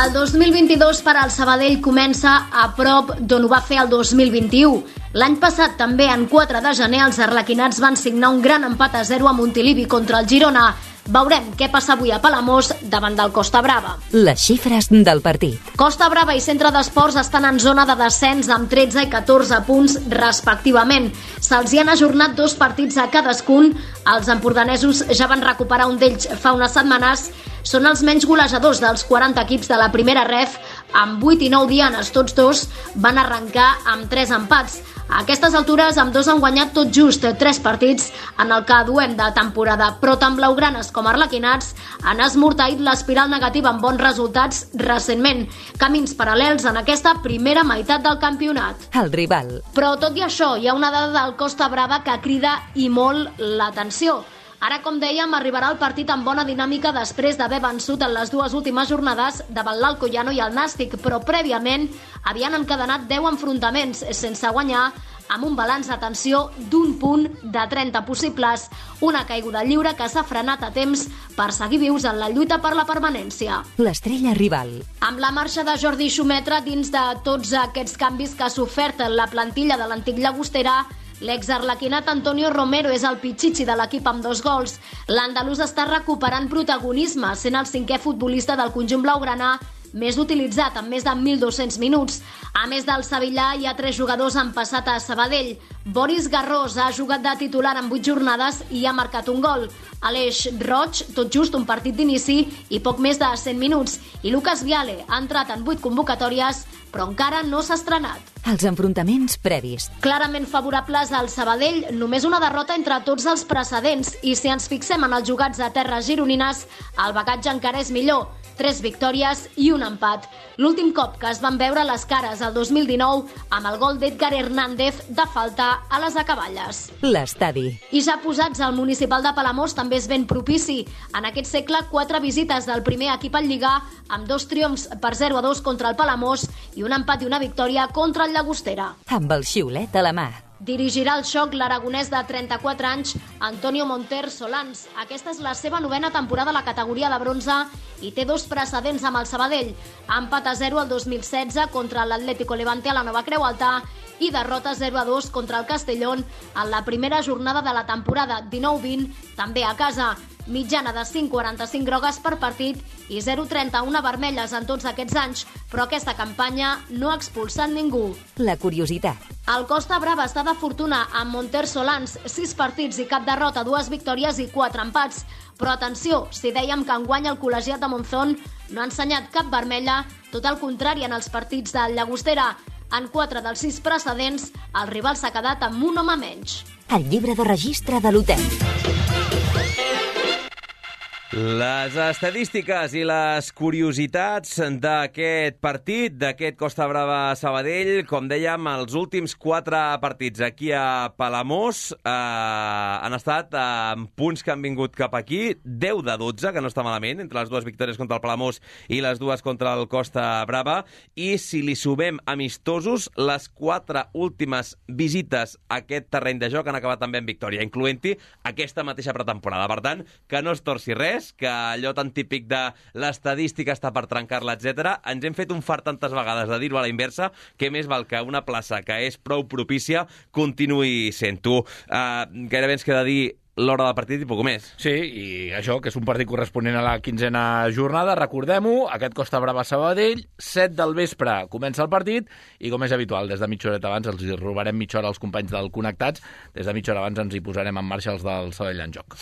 El dos mil vint-i-dos per al Sabadell comença a prop d'on ho va fer el dos mil vint-i-u. L'any passat, també, en quatre de gener, els arlequinats van signar un gran empat a zero a Montilivi contra el Girona. Veurem què passa avui a Palamós davant del Costa Brava. Les xifres del partit. Costa Brava i Centre d'Esports estan en zona de descens amb tretze i catorze punts respectivament. Se'ls hi han ajornat dos partits a cadascun. Els empordanesos ja van recuperar un d'ells fa unes setmanes. Són els menys golejadors dels quaranta equips de la primera ref. Amb vuit i nou dianes, tots dos van arrencar amb tres empats. A aquestes altures, ambdós han guanyat tot just tres partits en el que duem de temporada, però tant blaugranes com arlequinats han esmorteït l'espiral negativa amb bons resultats recentment, camins paral·lels en aquesta primera meitat del campionat. El rival. Però tot i això, hi ha una dada del Costa Brava que crida i molt l'atenció. Ara, com dèiem, arribarà el partit amb bona dinàmica després d'haver vençut en les dues últimes jornades davant l'Alcoyano i el Nàstic, però prèviament havien encadenat deu enfrontaments sense guanyar, amb un balanç, atenció, d'un punt de trenta possibles, una caiguda lliure que s'ha frenat a temps per seguir vius en la lluita per la permanència. L'estrella rival. Amb la marxa de Jordi Xumetra dins de tots aquests canvis que ha sofert la plantilla de l'antic Llagostera, l'exarlequinat Antonio Romero és el pitxitxi de l'equip amb dos gols. L'andalús està recuperant protagonisme, sent el cinquè futbolista del conjunt blaugrana més utilitzat, amb més de mil dos-cents minuts. A més del Sevillà, hi ha tres jugadors han passat a Sabadell. Boris Garrós ha jugat de titular en vuit jornades i ha marcat un gol. Aleix Roig, tot just un partit d'inici i poc més de cent minuts. I Lucas Viale ha entrat en vuit convocatòries, però encara no s'ha estrenat. Els enfrontaments previs. Clarament favorables al Sabadell, només una derrota entre tots els precedents, i si ens fixem en els jugats a terres gironines, el bagatge encara és millor. Tres victòries i un empat. L'últim cop que es van veure les cares el dos mil dinou amb el gol d'Edgar Hernández de falta a les acaballes. L'estadi. I ja posats, al municipal de Palamós també és ben propici. En aquest segle, quatre visites del primer equip en Lliga, amb dos triomfs per zero a dos contra el Palamós i un empat i una victòria contra el Llagostera. Amb el xiulet a la mà. Dirigirà el xoc l'aragonès de trenta-quatre anys, Antonio Monter Solans. Aquesta és la seva novena temporada a la categoria de bronze i té dos precedents amb el Sabadell. Empat a zero el dos mil setze contra l'Atlético Levante a la Nova Creu Alta i derrota zero a dos contra el Castellón en la primera jornada de la temporada dinou vint, també a casa. Mitjana de cinc coma quaranta-cinc grogues per partit i zero coma trenta-u vermelles en tots aquests anys, però aquesta campanya no ha expulsat ningú. La curiositat. El Costa Brava està de fortuna amb Monter Solans, sis partits i cap derrota, dues victòries i quatre empats. Però atenció, si dèiem que enguany el col·legiat de Monzón no ha ensenyat cap vermella, tot el contrari en els partits del Llagostera. En quatre dels sis precedents, el rival s'ha quedat amb un home menys. El llibre de registre de l'hotel. Les estadístiques i les curiositats d'aquest partit, d'aquest Costa Brava-Sabadell, com dèiem, els últims quatre partits aquí a Palamós eh, han estat amb eh, punts que han vingut cap aquí, deu de dotze, que no està malament, entre les dues victòries contra el Palamós i les dues contra el Costa Brava, i si li sumem amistosos, les quatre últimes visites a aquest terreny de joc han acabat també en victòria, incloent-hi aquesta mateixa pretemporada. Per tant, que no es torci res, que allò tan típic de l'estadística està per trencar-la, etcètera. Ens hem fet un fart tantes vegades de dir-ho a la inversa que més val que una plaça que és prou propícia continuï sent-ho. Uh, gairebé ens queda dir l'hora del partit i poc més. Sí, i això, que és un partit corresponent a la quinzena jornada, recordem-ho, aquest Costa Brava-Sabadell, set del vespre comença el partit, i com és habitual, des de mitja horeta abans els robarem mitja hora als companys del Connectats, des de mitja hora abans ens hi posarem en marxa els del Sabadell en joc.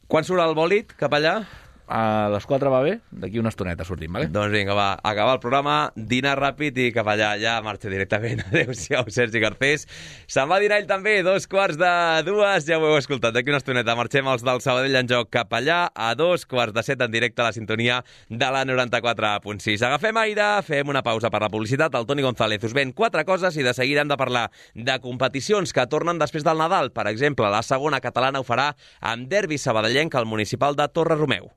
Quan surt el bòlit cap allà? A les quatre va bé? D'aquí una estoneta sortim, vale? Doncs vinga, va, acabar el programa, dinar ràpid i cap allà, ja marxo directament. Adéu-siau, Sergi Garcés. Se'n va dinar ell també, dos quarts de dues, ja ho heu escoltat. D'aquí una estoneta marxem els del Sabadell en joc cap allà, a dos quarts de set en directe a la sintonia de la noranta-quatre punt sis. Agafem aire, fem una pausa per la publicitat. El Toni González us ven quatre coses i de seguida hem de parlar de competicions que tornen després del Nadal. Per exemple, la segona catalana ho farà amb derbi sabadellenc al municipal de Torre-Romeu.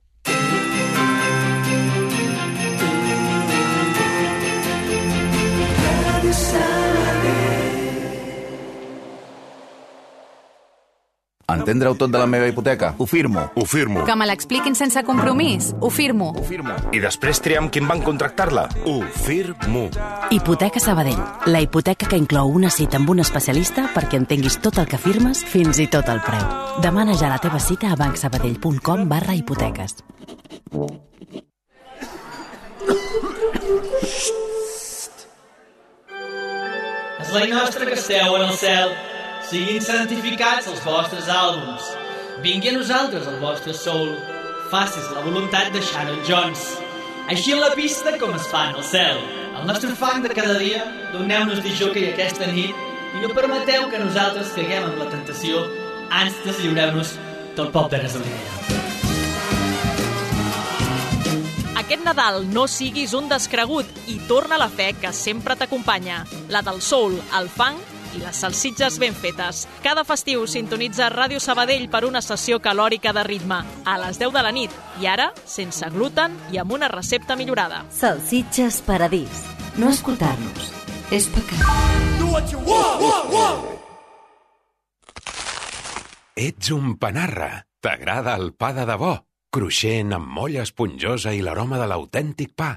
Entendre-ho tot de la meva hipoteca? Ho firmo. Ho firmo. Que me l'expliquin sense compromís? Ho firmo. Ho firmo. I després triar amb quin banc contractar-la? Ho firmo. Hipoteca Sabadell. La hipoteca que inclou una cita amb un especialista perquè entenguis tot el que firmes, fins i tot el preu. Demana ja la teva cita a bancsabadell.com barra hipoteques. És la nostra que esteu en el cel. Siguin santificats els vostres àlbums. Vingui a nosaltres el vostre soul. Facis la voluntat de Shannon Jones. Així en la pista com es fa en el cel. El nostre fang de cada dia, doneu-nos de jockey aquesta nit i no permeteu que nosaltres caiguem en la tentació, ans deslliureu-nos del pop de gasolina. Aquest Nadal no siguis un descregut i torna la fe que sempre t'acompanya, la del soul, el funk i les salsitxes ben fetes. Cada festiu sintonitza Ràdio Sabadell per una sessió calòrica de ritme, a les deu de la nit, i ara sense gluten i amb una recepta millorada. Salsitxes Paradís. No escoltar-nos és pecat. Ets un panarra. T'agrada el pa de debò? Cruixent, amb molla esponjosa i l'aroma de l'autèntic pa.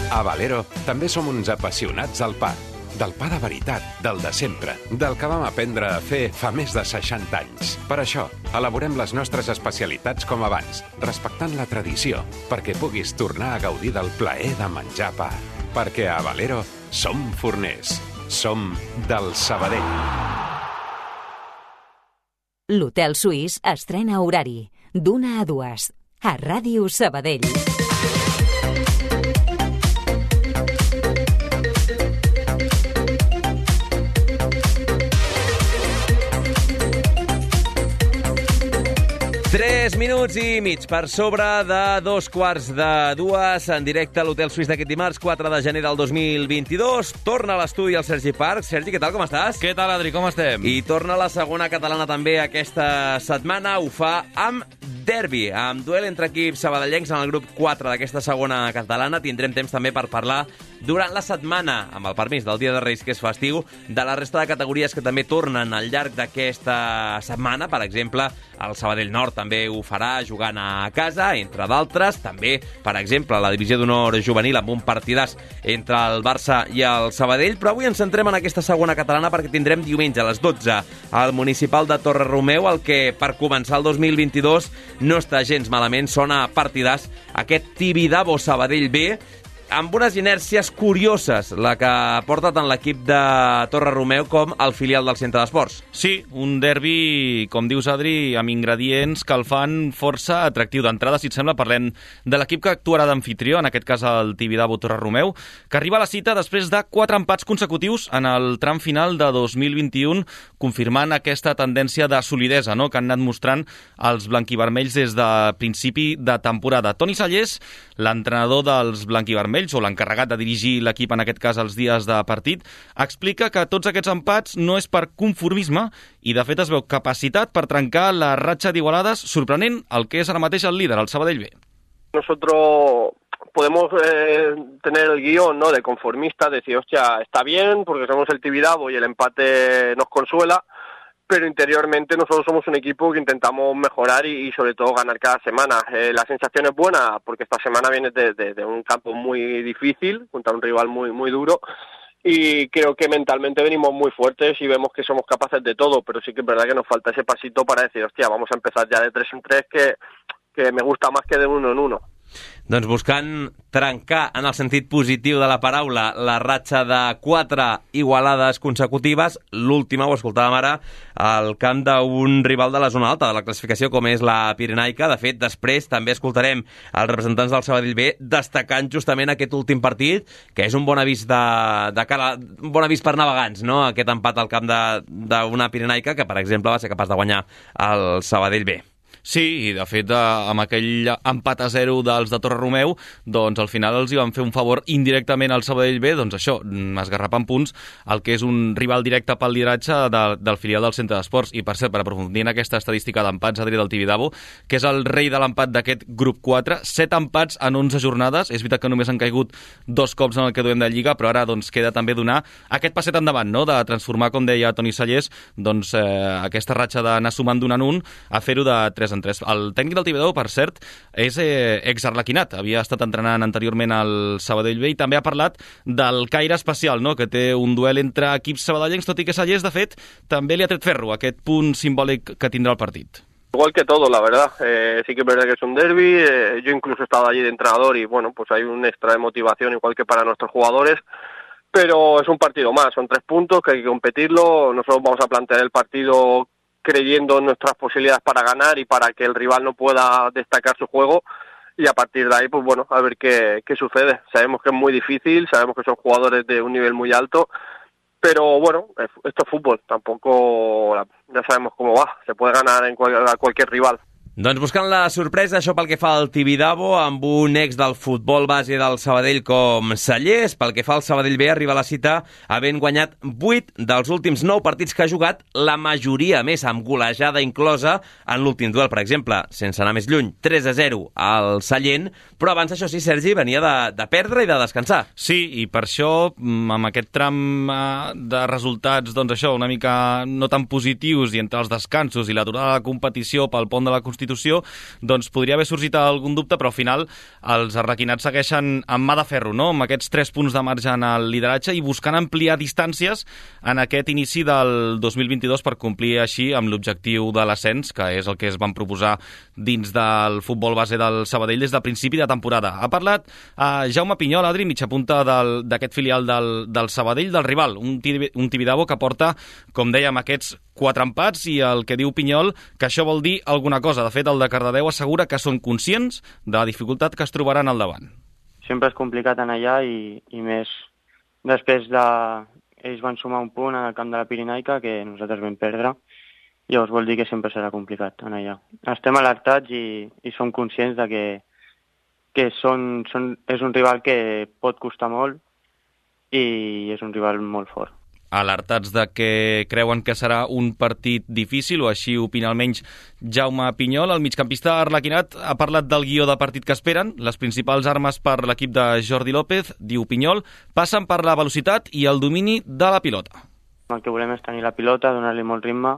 A Valero també som uns apassionats del pa. Del pa de veritat, del de sempre, del que vam aprendre a fer fa més de seixanta anys. Per això, elaborem les nostres especialitats com abans, respectant la tradició, perquè puguis tornar a gaudir del plaer de menjar pa. Perquè a Valero som forners. Som del Sabadell. L'Hotel Suís estrena horari, d'una a dues, a Ràdio Sabadell. Tres minuts i mig per sobre de dos quarts de dues en directe a l'Hotel Suís d'aquest dimarts, quatre de gener del dos mil vint-i-dos. Torna a l'estudi el Sergi Parc. Sergi, què tal, com estàs? Què tal, Adri, com estem? I torna la segona catalana també aquesta setmana. Ho fa amb derbi, amb duel entre equips sabadellencs en el grup quatre d'aquesta segona catalana. Tindrem temps també per parlar durant la setmana, amb el permís del Dia de Reis, que és festiu, de la resta de categories que també tornen al llarg d'aquesta setmana. Per exemple, el Sabadell Nord també ho farà jugant a casa, entre d'altres. També, per exemple, la divisió d'honor juvenil amb un partidàs entre el Barça i el Sabadell. Però avui ens centrem en aquesta segona catalana perquè tindrem diumenge a les dotze al Municipal de Torredromeu, el que per començar el dos mil vint-i-dos no està gens malament. Sona partidàs aquest Tibidabo Sabadell B, amb unes inèrcies curioses, la que porta tant l'equip de Torredromeu com el filial del Centre d'Esports. Sí, un derbi, com dius, Adri, amb ingredients que el fan força atractiu. D'entrada, si et sembla, parlem de l'equip que actuarà d'amfitrió, en aquest cas el Tibidabo Torredromeu, que arriba a la cita després de quatre empats consecutius en el tram final de dos mil vint-i-u, confirmant aquesta tendència de solidesa, no?, que han anat mostrant els blanquivermells des de principi de temporada. Toni Sallés, l'entrenador dels blanquivermells, o l'encarregat de dirigir l'equip, en aquest cas els dies de partit, explica que tots aquests empats no és per conformisme i de fet es veu capacitat per trencar la ratxa d'igualades, sorprenent el que és ara mateix el líder, el Sabadell B. Nosotros podemos eh, tener el guión, ¿no?, de conformista, decir, hostia, está bien porque somos el Tibidabo y el empate nos consuela, pero interiormente nosotros somos un equipo que intentamos mejorar y, y sobre todo ganar cada semana. Eh, la sensación es buena porque esta semana viene de, de, de un campo muy difícil, contra un rival muy, muy duro, y creo que mentalmente venimos muy fuertes y vemos que somos capaces de todo, pero sí que es verdad que nos falta ese pasito para decir, hostia, vamos a empezar ya de tres en tres, que, que me gusta más que de uno en uno. Doncs buscant trencar, en el sentit positiu de la paraula, la ratxa de quatre igualades consecutives, l'última, ho escoltàvem ara, al camp d'un rival de la zona alta de la classificació, com és la Pirenaica. De fet, després també escoltarem els representants del Sabadell B destacant justament aquest últim partit, que és un bon avís de, de cara, un bon avís per navegants, no?, aquest empat al camp d'una Pirenaica que, per exemple, va ser capaç de guanyar el Sabadell B. Sí, i de fet, amb aquell empat a zero dels de Torredromeu, doncs al final els hi van fer un favor indirectament al Sabadell B, doncs això, esgarrapant punts, el que és un rival directe pel lideratge de, del filial del Centre d'Esports. I per cert, per aprofundir en aquesta estadística d'empats, Adri, del Tibidabo, que és el rei de l'empat d'aquest grup quatre, set empats en onze jornades. És veritat que només han caigut dos cops en el que duem de Lliga, però ara doncs queda també donar aquest passet endavant, no?, de transformar, com deia Toni Sallés, doncs eh, aquesta ratxa d'anar sumant d'un en un a fer-ho de tres en tres. El tècnic del Tibidabo, per cert, és eh, ex-arlequinat, havia estat entrenant anteriorment al Sabadell B i també ha parlat del caire especial, no?, que té un duel entre equips sabadellencs, tot i que Sallés, de fet, també li ha tret ferro, aquest punt simbòlic que tindrà el partit. Igual que todo, la verdad. Eh, sí que es verdad que es un derbi. Eh, yo incluso he estado allí de entrenador y, bueno, pues hay un extra de motivación, igual que para nuestros jugadores. Pero es un partido más, son tres puntos que hay que competirlo. Nosotros vamos a plantear el partido creyendo en nuestras posibilidades para ganar y para que el rival no pueda destacar su juego, y a partir de ahí, pues bueno, a ver qué, qué sucede. Sabemos que es muy difícil, sabemos que son jugadores de un nivel muy alto, Pero bueno, esto es fútbol, tampoco ya sabemos cómo va, se puede ganar en cual, a cualquier rival. Doncs buscant la sorpresa, això pel que fa al Tibidabo, amb un ex del futbol base del Sabadell com Sallés. Pel que fa al Sabadell B, arriba a la cita havent guanyat vuit dels últims nou partits que ha jugat, la majoria més amb golejada inclosa en l'últim duel, per exemple, sense anar més lluny, tres a zero al Sallent, però abans això sí, Sergi, venia de, de perdre i de descansar. Sí, i per això, amb aquest tram de resultats, doncs això, una mica no tan positius, i entre els descansos i l'aturada de la competició pel pont de la Constitució, doncs podria haver sorgit algun dubte, però al final els arlequinats segueixen amb mà de ferro, no? Amb aquests tres punts de marge en el lideratge i buscant ampliar distàncies en aquest inici del dos mil vint-i-dos per complir així amb l'objectiu de l'ascens, que és el que es van proposar dins del futbol base del Sabadell des de principi de temporada. Ha parlat uh, Jaume Pinyol, Adri, mitja punta d'aquest filial del, del Sabadell, del rival, un, un Tibidabo que porta, com dèiem, aquests quatre empats, i el que diu Pinyol, que això vol dir alguna cosa. De fet, el de Cardedeu assegura que són conscients de la dificultat que es trobaran al davant. Sempre és complicat anar allà i, i més després de... Ells van sumar un punt al camp de la Pirinaica que nosaltres vam perdre. Llavors vol dir que sempre serà complicat anar allà. Estem alertats i, i som conscients de que, que són, són, és un rival que pot costar molt i és un rival molt fort. Alertats de que creuen que serà un partit difícil, o així opina almenys Jaume Pinyol. El migcampista arlequinat ha parlat del guió de partit que esperen. Les principals armes per l'equip de Jordi López, diu Pinyol, passen per la velocitat i el domini de la pilota. El que volem és tenir la pilota, donar-li molt ritme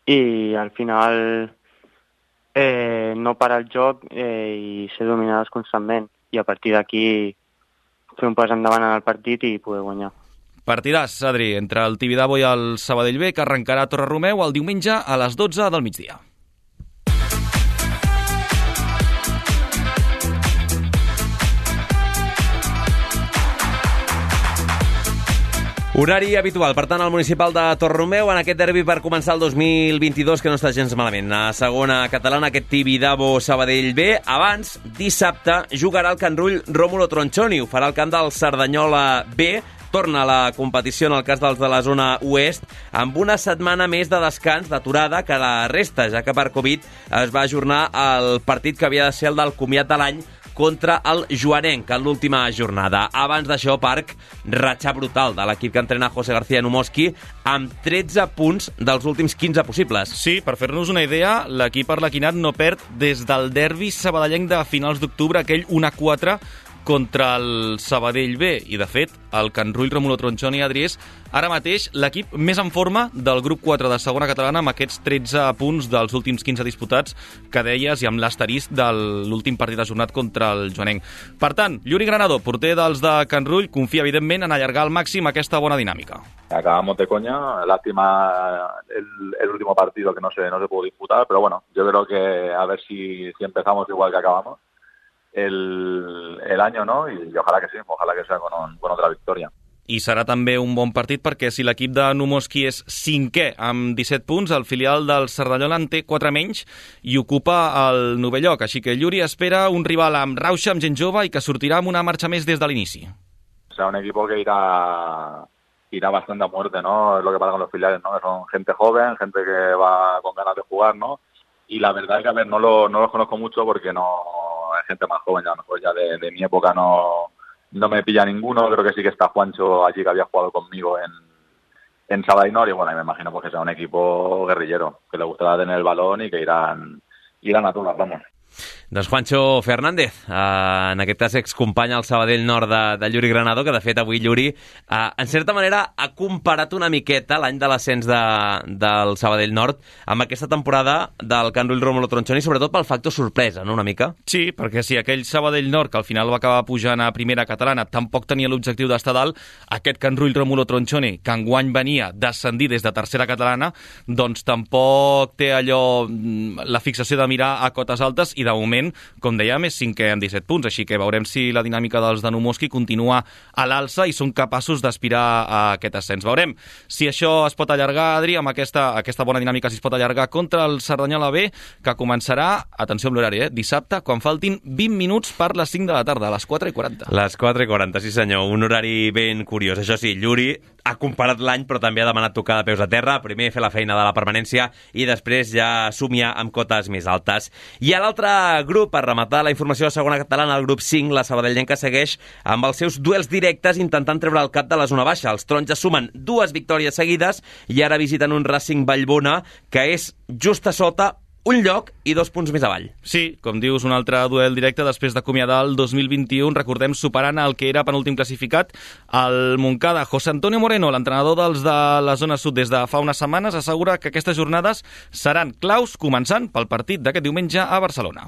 i al final eh, no parar el joc eh, i ser dominades constantment. I a partir d'aquí fer un pas endavant en el partit i poder guanyar. Partidàs, Adri, entre el Tibidabo i el Sabadell B, que arrencarà a Torredemeu el diumenge a les dotze del migdia. Horari habitual, per tant, al municipal de Torredemeu en aquest derbi per començar el dos mil vint-i-dos, que no està gens malament. A segona catalana, aquest Tibidabo-Sabadell B. Abans, dissabte, jugarà el Can Rull Rómulo Tronchoni. Ho farà al camp del Cerdanyola B. Torna a la competició en el cas dels de la zona oest amb una setmana més de descans, d'aturada, que la resta, ja que per Covid es va ajornar el partit que havia de ser el del comiat de l'any contra el Joanenc en l'última jornada. Abans d'això, Parc, ratxa brutal de l'equip que entrena José García Numoski amb tretze punts dels últims quinze possibles. Sí, per fer-nos una idea, l'equip arlequinat no perd des del derbi sabadellenc de finals d'octubre, aquell un a quatre contra el Sabadell B, i de fet el Can Rull Rómulo Tronchoni, Adri, és ara mateix l'equip més en forma del grup quatre de segona catalana, amb aquests tretze punts dels últims quinze disputats que deies, i amb l'asterisc de l'últim partit ajornat contra el Joanenc. Per tant, Yuri Granado, porter dels de Can Rull, confia evidentment en allargar al màxim aquesta bona dinàmica. Acabamos de coña, lástima el, el último partido que no se, no se pudo disputar, pero bueno, yo creo que a ver si, si empezamos igual que acabamos el, el año, ¿no? Y, y ojalá que sí, ojalá que sea con, un, con otra victoria. I serà també un bon partit perquè si l'equip de Numoski és cinquè amb disset punts, el filial del Cerdanyola en té quatre menys i ocupa el novè lloc. Així que Yuri espera un rival amb rauxa, amb gent jove i que sortirà amb una marxa més des de l'inici. O sea, un equipo que irá, irá bastante a muerte, ¿no? Es lo que pasa con los filiales, ¿no? Que son gente joven, gente que va con ganas de jugar, ¿no? Y la verdad es que, a ver, no, lo, no los conozco mucho porque no es gente más joven, ya, a lo mejor ya de, de mi época no... No me pilla ninguno, creo que sí que está Juancho allí, que había jugado conmigo en, en Sabadell, y bueno, me imagino pues que sea un equipo guerrillero, que le gustará tener el balón y que irán, irán a todas, vamos. Doncs Juancho Fernández, eh, en aquest cas excompany al Sabadell Nord de, de Yuri Granado, que de fet avui Yuri, eh, en certa manera, ha comparat una miqueta l'any de l'ascens de, del Sabadell Nord amb aquesta temporada del Can Rull Rómulo Tronchoni, sobretot pel factor sorpresa, no?, una mica? Sí, perquè si aquell Sabadell Nord, que al final va acabar pujant a primera catalana, tampoc tenia l'objectiu d'estar dalt, aquest Can Rull Rómulo Tronchoni, que enguany venia descendir des de tercera catalana, doncs tampoc té allò, la fixació de mirar a cotes altes, i de moment, com dèiem, és cinquè amb disset punts, així que veurem si la dinàmica dels Danumoski continua a l'alça i són capaços d'aspirar a aquest ascens. Veurem si això es pot allargar, Adri, amb aquesta, aquesta bona dinàmica, si es pot allargar contra el Cerdanyola B, que començarà, atenció amb l'horari, eh, dissabte, quan faltin vint minuts per les cinc de la tarda, a les quatre i quaranta. Les quatre i quaranta, sí senyor, un horari ben curiós. Això sí, Lluri ha comparat l'any, però també ha demanat tocar de peus a terra, primer fer la feina de la permanència i després ja somiar amb cotes més altes. I a l'altre grup, per rematar la informació de segona catalana, el grup cinc, la sabadellenca segueix amb els seus duels directes intentant treure el cap de la zona baixa. Els taronges sumen dues victòries seguides i ara visiten un Racing Vallbona que és just a sota, un lloc i dos punts més avall. Sí, com dius, un altre duel directe després d'acomiadar el dos mil vint-i-u, recordem, superant el que era penúltim classificat, el Montcada. José Antonio Moreno, l'entrenador dels de la zona sud des de fa unes setmanes, assegura que aquestes jornades seran claus, començant pel partit d'aquest diumenge a Barcelona.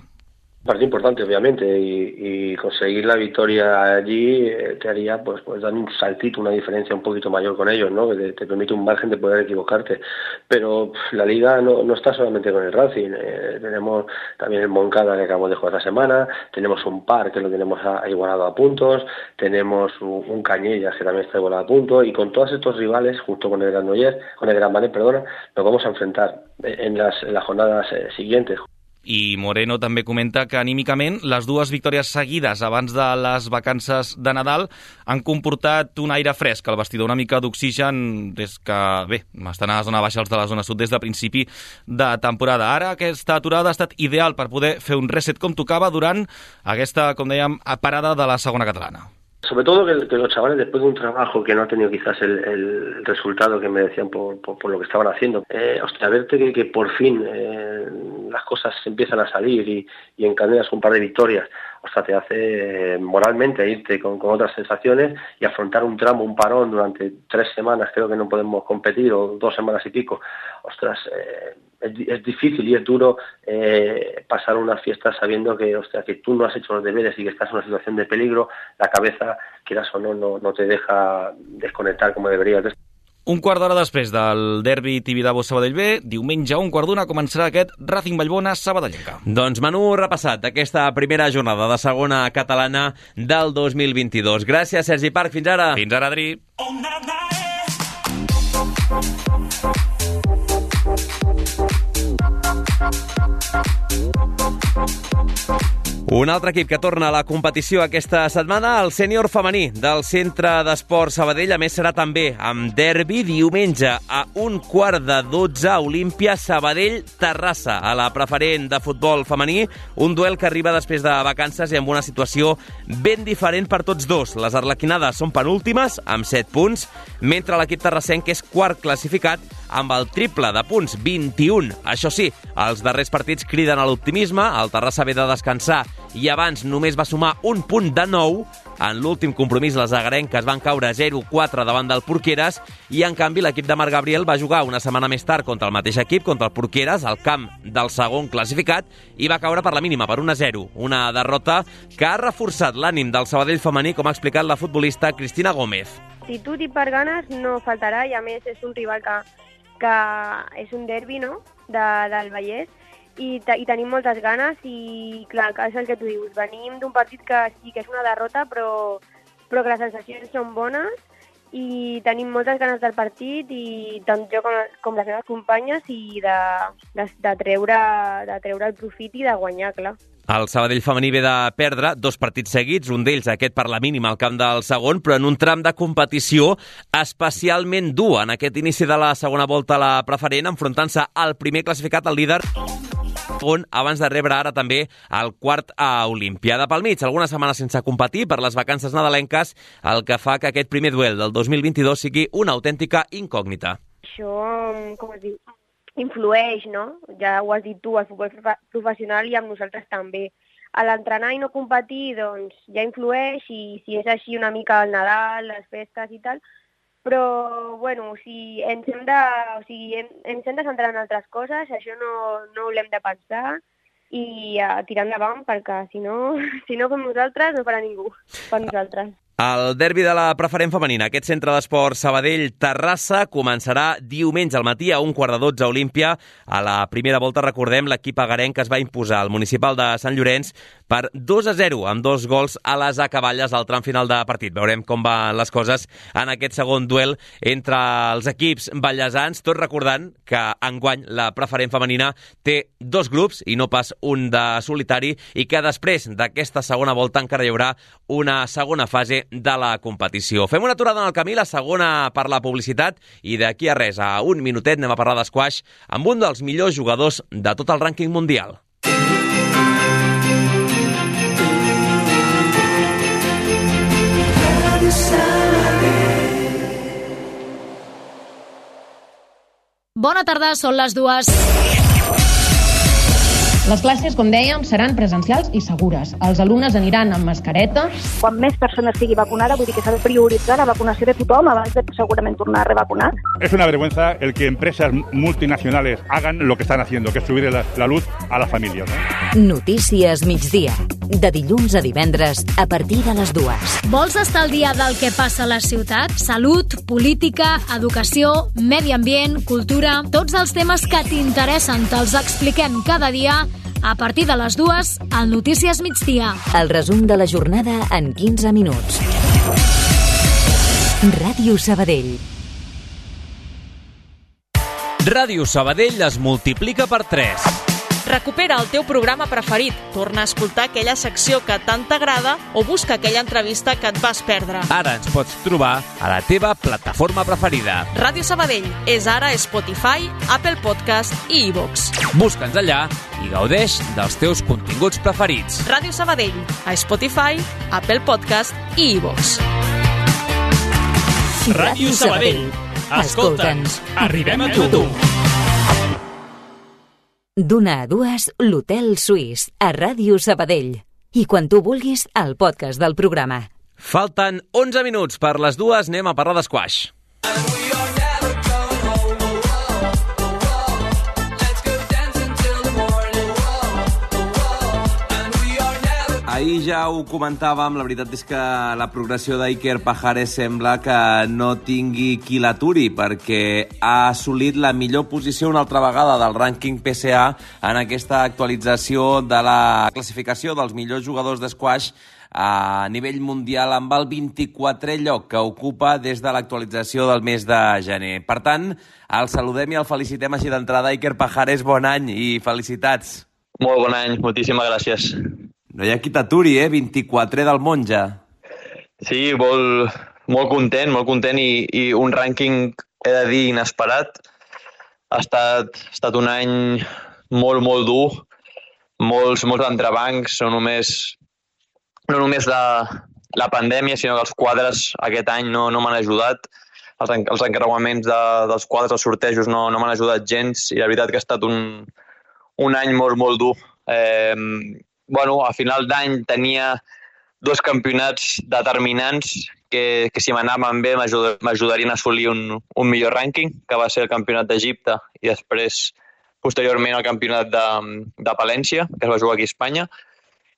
Partido importante, obviamente, y, y conseguir la victoria allí eh, te haría pues, pues dar un saltito, una diferencia un poquito mayor con ellos, ¿no? Que te, te permite un margen de poder equivocarte. Pero pff, la Liga no, no está solamente con el Racing. Eh, tenemos también el Moncada que acabamos de jugar esta semana, tenemos un Par que lo tenemos a, a igualado a puntos, tenemos un, un Cañellas que también está igualado a puntos, y con todos estos rivales, justo con el Granollers, con el Gran Manet, perdona, nos vamos a enfrentar en las, en las jornadas eh, siguientes. I Moreno també comenta que anímicament les dues victòries seguides abans de les vacances de Nadal han comportat un aire fresc al vestidor, una mica d'oxigen des que, bé, estan a la zona baixa els de la zona sud des de principi de temporada. Ara aquesta aturada ha estat ideal per poder fer un reset com tocava durant aquesta, com dèiem, parada de la segona catalana. Sobre todo que, que los chavales, después de un trabajo que no ha tenido quizás el, el resultado que merecían por, por, por lo que estaban haciendo, eh, hostia, verte que, que por fin eh, las cosas empiezan a salir y, y encadenas un par de victorias, o sea, te hace eh, moralmente irte con, con otras sensaciones y afrontar un tramo, un parón durante tres semanas, creo que no podemos competir, o dos semanas y pico. Ostras, eh, es, es difícil y es duro eh, pasar una fiesta sabiendo que, hostia, que tú no has hecho los deberes y que estás en una situación de peligro, la cabeza, quieras o no, no, no te deja desconectar como deberías. Un quart d'hora després del derbi Tibidabo-Sabadell B, diumenge a un quart d'una començarà aquest Racing Vallbona-Sabadellenca. Doncs menú repassat d'aquesta primera jornada de segona catalana del dos mil vint-i-dos. Gràcies, Sergi Parc. Fins ara. Fins ara, Adri. Un altre equip que torna a la competició aquesta setmana, el sènior femení del Centre d'Esport Sabadell. A més, serà també amb derbi diumenge a un quart de dotze a Olímpia Sabadell-Terrassa, a la preferent de futbol femení. Un duel que arriba després de vacances i amb una situació ben diferent per tots dos. Les arlequinades són penúltimes, amb set punts, mentre l'equip terrassenc és quart classificat amb el triple de punts, vint-i-un. Això sí, els darrers partits criden a l'optimisme. El Terrassa ve de descansar i abans només va sumar un punt de nou. En l'últim compromís, les agarenques van caure zero quatre davant del Porqueres i, en canvi, l'equip de Marc Gabriel va jugar una setmana més tard contra el mateix equip, contra el Porqueres, al camp del segon classificat, i va caure per la mínima, per un a zero. Una derrota que ha reforçat l'ànim del Sabadell femení, com ha explicat la futbolista Cristina Gómez. Actitud i per ganes no faltarà, i a més és un rival que, que és un derbi, no?, de, del Vallès, I, i tenim moltes ganes i, clar, és el que tu dius, venim d'un partit que sí que és una derrota, però, però que les sensacions són bones i tenim moltes ganes del partit, i tant jo com, com les meves companyes, i de, de, de, treure, de treure el profit i de guanyar, clar. El Sabadell femení ve de perdre dos partits seguits, un d'ells aquest per la mínima al camp del segon, però en un tram de competició especialment dur en aquest inici de la segona volta a la preferent, enfrontant-se al primer classificat, el líder on, abans de rebre ara també el quart a Olímpia. De pel mig, algunes setmanes sense competir per les vacances nadalenques, el que fa que aquest primer duel del dos mil vint-i-dos sigui una autèntica incògnita. Això, com es diu, influeix, no? Ja ho has dit tu, al futbol professional, i amb nosaltres també. A l'entrenar i no competir, doncs, ja influeix, i si és així una mica el Nadal, les festes i tal, però, bueno, o sigui, ens hem de, o sigui, hem, ens hem de centrar en altres coses, això no, no ho l'hem de pensar, i uh, tirar endavant, perquè si no, si no fem nosaltres, no farà ningú per nosaltres. El derbi de la preferent femenina, aquest centre d'esport Sabadell-Terrassa, començarà diumenge al matí a un quart de dotze a Olímpia. A la primera volta, recordem, l'equip agarenc es va imposar al municipal de Sant Llorenç per dos a zero, amb dos gols a les acaballes al tram final de partit. Veurem com van les coses en aquest segon duel entre els equips ballesans, tot recordant que enguany la preferent femenina té dos grups i no pas un de solitari, i que després d'aquesta segona volta encara hi haurà una segona fase de la competició. Fem una aturada en el camí, la segona per la publicitat, i d'aquí a res, a un minutet, anem a parlar d'esquaix amb un dels millors jugadors de tot el rànquing mundial. Bona tarda, són les dues. Les classes, com dèiem, seran presencials i segures. Els alumnes aniran amb mascareta. Quan més persones sigui vacunada, vull dir que s'ha de prioritzar la vacunació de tothom abans de segurament tornar a revacunar. Es una vergüenza el que empresas multinacionales hagan lo que están haciendo, que es subir la, la luz a las familias, ¿no? Notícies migdia, de dilluns a divendres a partir de les dues. Vols estar al dia del que passa a la ciutat? Salut, política, educació, medi ambient, cultura... Tots els temes que t'interessen te'ls expliquem cada dia a partir de les dues al Notícies migdia. El resum de la jornada en quinze minuts. Ràdio Sabadell. Ràdio Sabadell es multiplica per tres. Recupera el teu programa preferit, torna a escoltar aquella secció que tant t'agrada o busca aquella entrevista que et vas perdre. Ara ens pots trobar a la teva plataforma preferida. Ràdio Sabadell és ara a Spotify, Apple Podcast i iVoox. Busca'ns allà i gaudeix dels teus continguts preferits. Ràdio Sabadell, a Spotify, Apple Podcast i iVoox. Ràdio Sabadell. Escolta'ns, arribem a tu. D'una a dues, l'Hotel Suís, a Ràdio Sabadell. I quan tu vulguis, el podcast del programa. Falten onze minuts per les dues, anem a parlar d'esquaix. Ahir ja ho comentàvem, la veritat és que la progressió d'Iker Pajares sembla que no tingui qui l'aturi, perquè ha assolit la millor posició una altra vegada del rànquing P S A en aquesta actualització de la classificació dels millors jugadors d'esquaix a nivell mundial, amb el vint-i-quatrè lloc que ocupa des de l'actualització del mes de gener. Per tant, el saludem i el felicitem així d'entrada. Iker Pajares, bon any i felicitats. Molt bon any, moltíssimes gràcies. No hi ha qui t'aturi, eh? vint-i-quatrè del món ja. Sí, molt, molt content, molt content i, i un rànquing, he de dir, inesperat. Ha estat, ha estat un any molt, molt dur, molts, molts entrebancs, no només, no només la, la pandèmia, sinó que els quadres aquest any no, no m'han ajudat. Els, els encreuaments de, dels quadres, els sortejos, no, no m'han ajudat gens, i la veritat que ha estat un, un any molt, molt dur. Eh, Bueno, a final d'any tenia dos campionats determinants que, que si m'anaven bé m'ajudarien a assolir un, un millor rànquing, que va ser el campionat d'Egipte i després, posteriorment, el campionat de, de Palència, que es va jugar aquí a Espanya.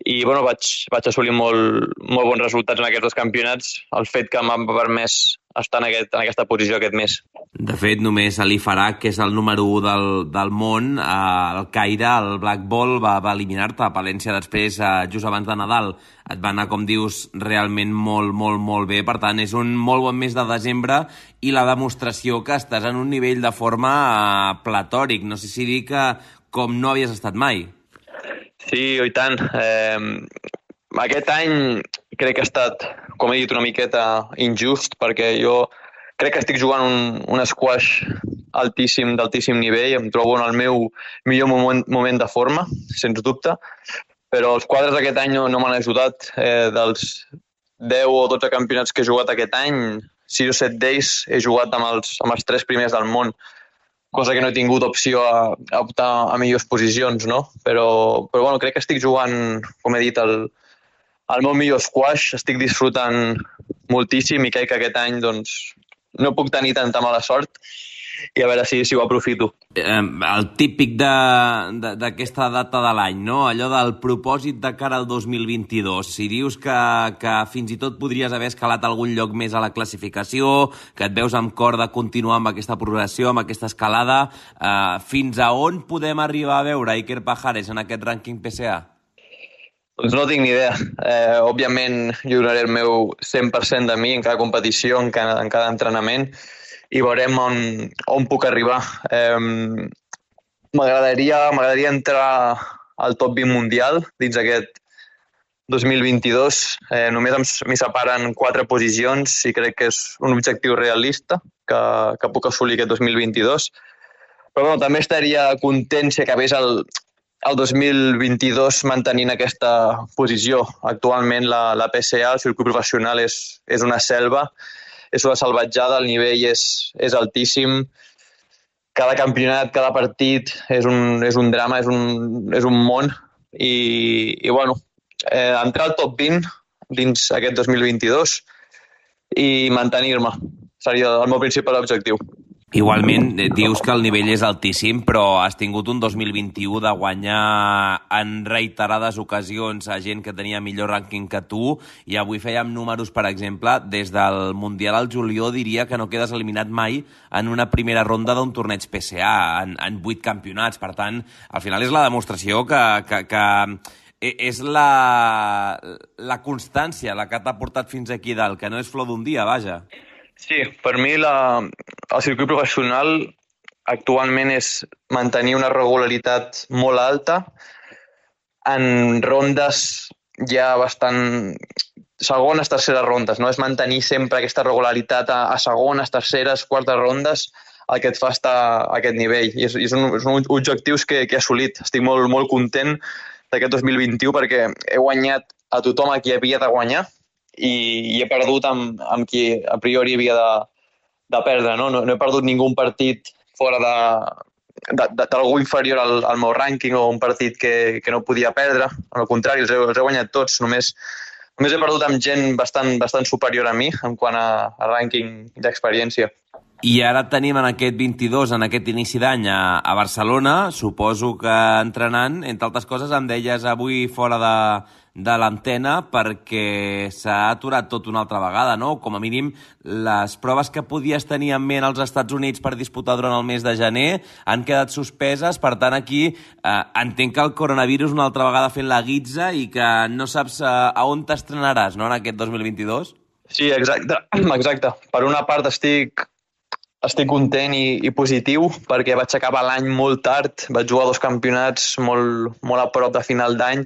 I bueno, vaig, vaig assolir molt, molt bons resultats en aquests dos campionats, el fet que m'ha permès estar en, aquest, en aquesta posició aquest mes. De fet, només Ali Farag, que és el número u del, del món, eh, el Caire, el Black Ball, va, va eliminar-te a Palència després, eh, just abans de Nadal. Et va anar, com dius, realment molt, molt, molt bé. Per tant, és un molt bon mes de desembre i la demostració que estàs en un nivell de forma eh, platòric. No sé si dir que com no havies estat mai. Sí, i tant. Eh, aquest any crec que ha estat, com he dit, una miqueta injust, perquè jo crec que estic jugant un, un squash altíssim, d'altíssim nivell, em trobo en el meu millor moment, moment de forma, sens dubte, però els quadres d'aquest any no, no m'han ajudat. Eh, dels deu o dotze campionats que he jugat aquest any, sis o set d'ells he jugat amb els, amb els tres primers del món, cosa que no he tingut opció a, a optar a millors posicions, no? Però, però bueno, crec que estic jugant, com he dit, el, el meu millor squash, estic disfrutant moltíssim i crec que aquest any doncs, no puc tenir tanta mala sort i a veure si, si ho aprofito. Eh, el típic d'aquesta data de l'any, no? Allò del propòsit de cara al dos mil vint-i-dos. Si dius que, que fins i tot podries haver escalat algun lloc més a la classificació, que et veus amb cor de continuar amb aquesta progressió, amb aquesta escalada, eh, fins a on podem arribar a veure Iker Pajares en aquest rànquing P C A? Doncs no tinc ni idea. Eh, òbviament, jo donaré el meu cent per cent de mi en cada competició, en cada, en cada entrenament, i veurem on, on puc arribar. Eh, m'agradaria, m'agradaria entrar al top vint mundial dins aquest dos mil vint-i-dos. Eh, només m'hi separen quatre posicions i crec que és un objectiu realista que, que puc assolir aquest dos mil vint-i-dos. Però bueno, també estaria content si acabés el el dos mil vint-i-dos mantenint aquesta posició. Actualment la, la P C A, el circuit professional, és, és una selva, és una salvatjada, el nivell és, és altíssim. Cada campionat, cada partit és un, és un drama, és un, és un món. I, i bueno, eh, entrar al top vint dins aquest dos mil vint-i-dos i mantenir-me. Seria el meu principal objectiu. Igualment, dius que el nivell és altíssim, però has tingut un dos mil vint-i-u de guanyar en reiterades ocasions a gent que tenia millor rànquing que tu, i avui fèiem números, per exemple, des del Mundial al juliol diria que no quedes eliminat mai en una primera ronda d'un torneig P C A, en, en vuit campionats. Per tant, al final és la demostració que... que, que és la, la constància la que t'ha portat fins aquí dalt, que no és flor d'un dia, vaja. Sí, per mi la, el circuit professional actualment és mantenir una regularitat molt alta en rondes ja bastant... segones, terceres rondes, no? És mantenir sempre aquesta regularitat a, a segones, terceres, quartes rondes, el que et fa estar a aquest nivell. I és, és un, són objectius que, que he assolit. Estic molt, molt content d'aquest dos mil vint-i-u perquè he guanyat a tothom a qui havia de guanyar i, i he perdut amb, amb qui a priori havia de, de perdre. No? No, no he perdut ningú partit fora d'algú inferior al, al meu rànquing o un partit que, que no podia perdre. Al contrari, els he, els he guanyat tots. Només, només he perdut amb gent bastant, bastant superior a mi en quant a, a rànquing d'experiència. I ara tenim en aquest vint-i-dos, en aquest inici d'any a, a Barcelona, suposo que entrenant, entre altres coses, em deies avui fora de, de l'antena perquè s'ha aturat tot una altra vegada, no? Com a mínim, les proves que podies tenir en ment als Estats Units per disputar durant el mes de gener han quedat suspeses, per tant aquí eh, entenc que el coronavirus una altra vegada fent la guitza i que no saps eh, a on t'estrenaràs, no?, en aquest dos mil vint-i-dos? Sí, exacte. exacte. Per una part estic... Estic content i, i positiu perquè vaig acabar l'any molt tard, vaig jugar dos campionats molt, molt a prop de final d'any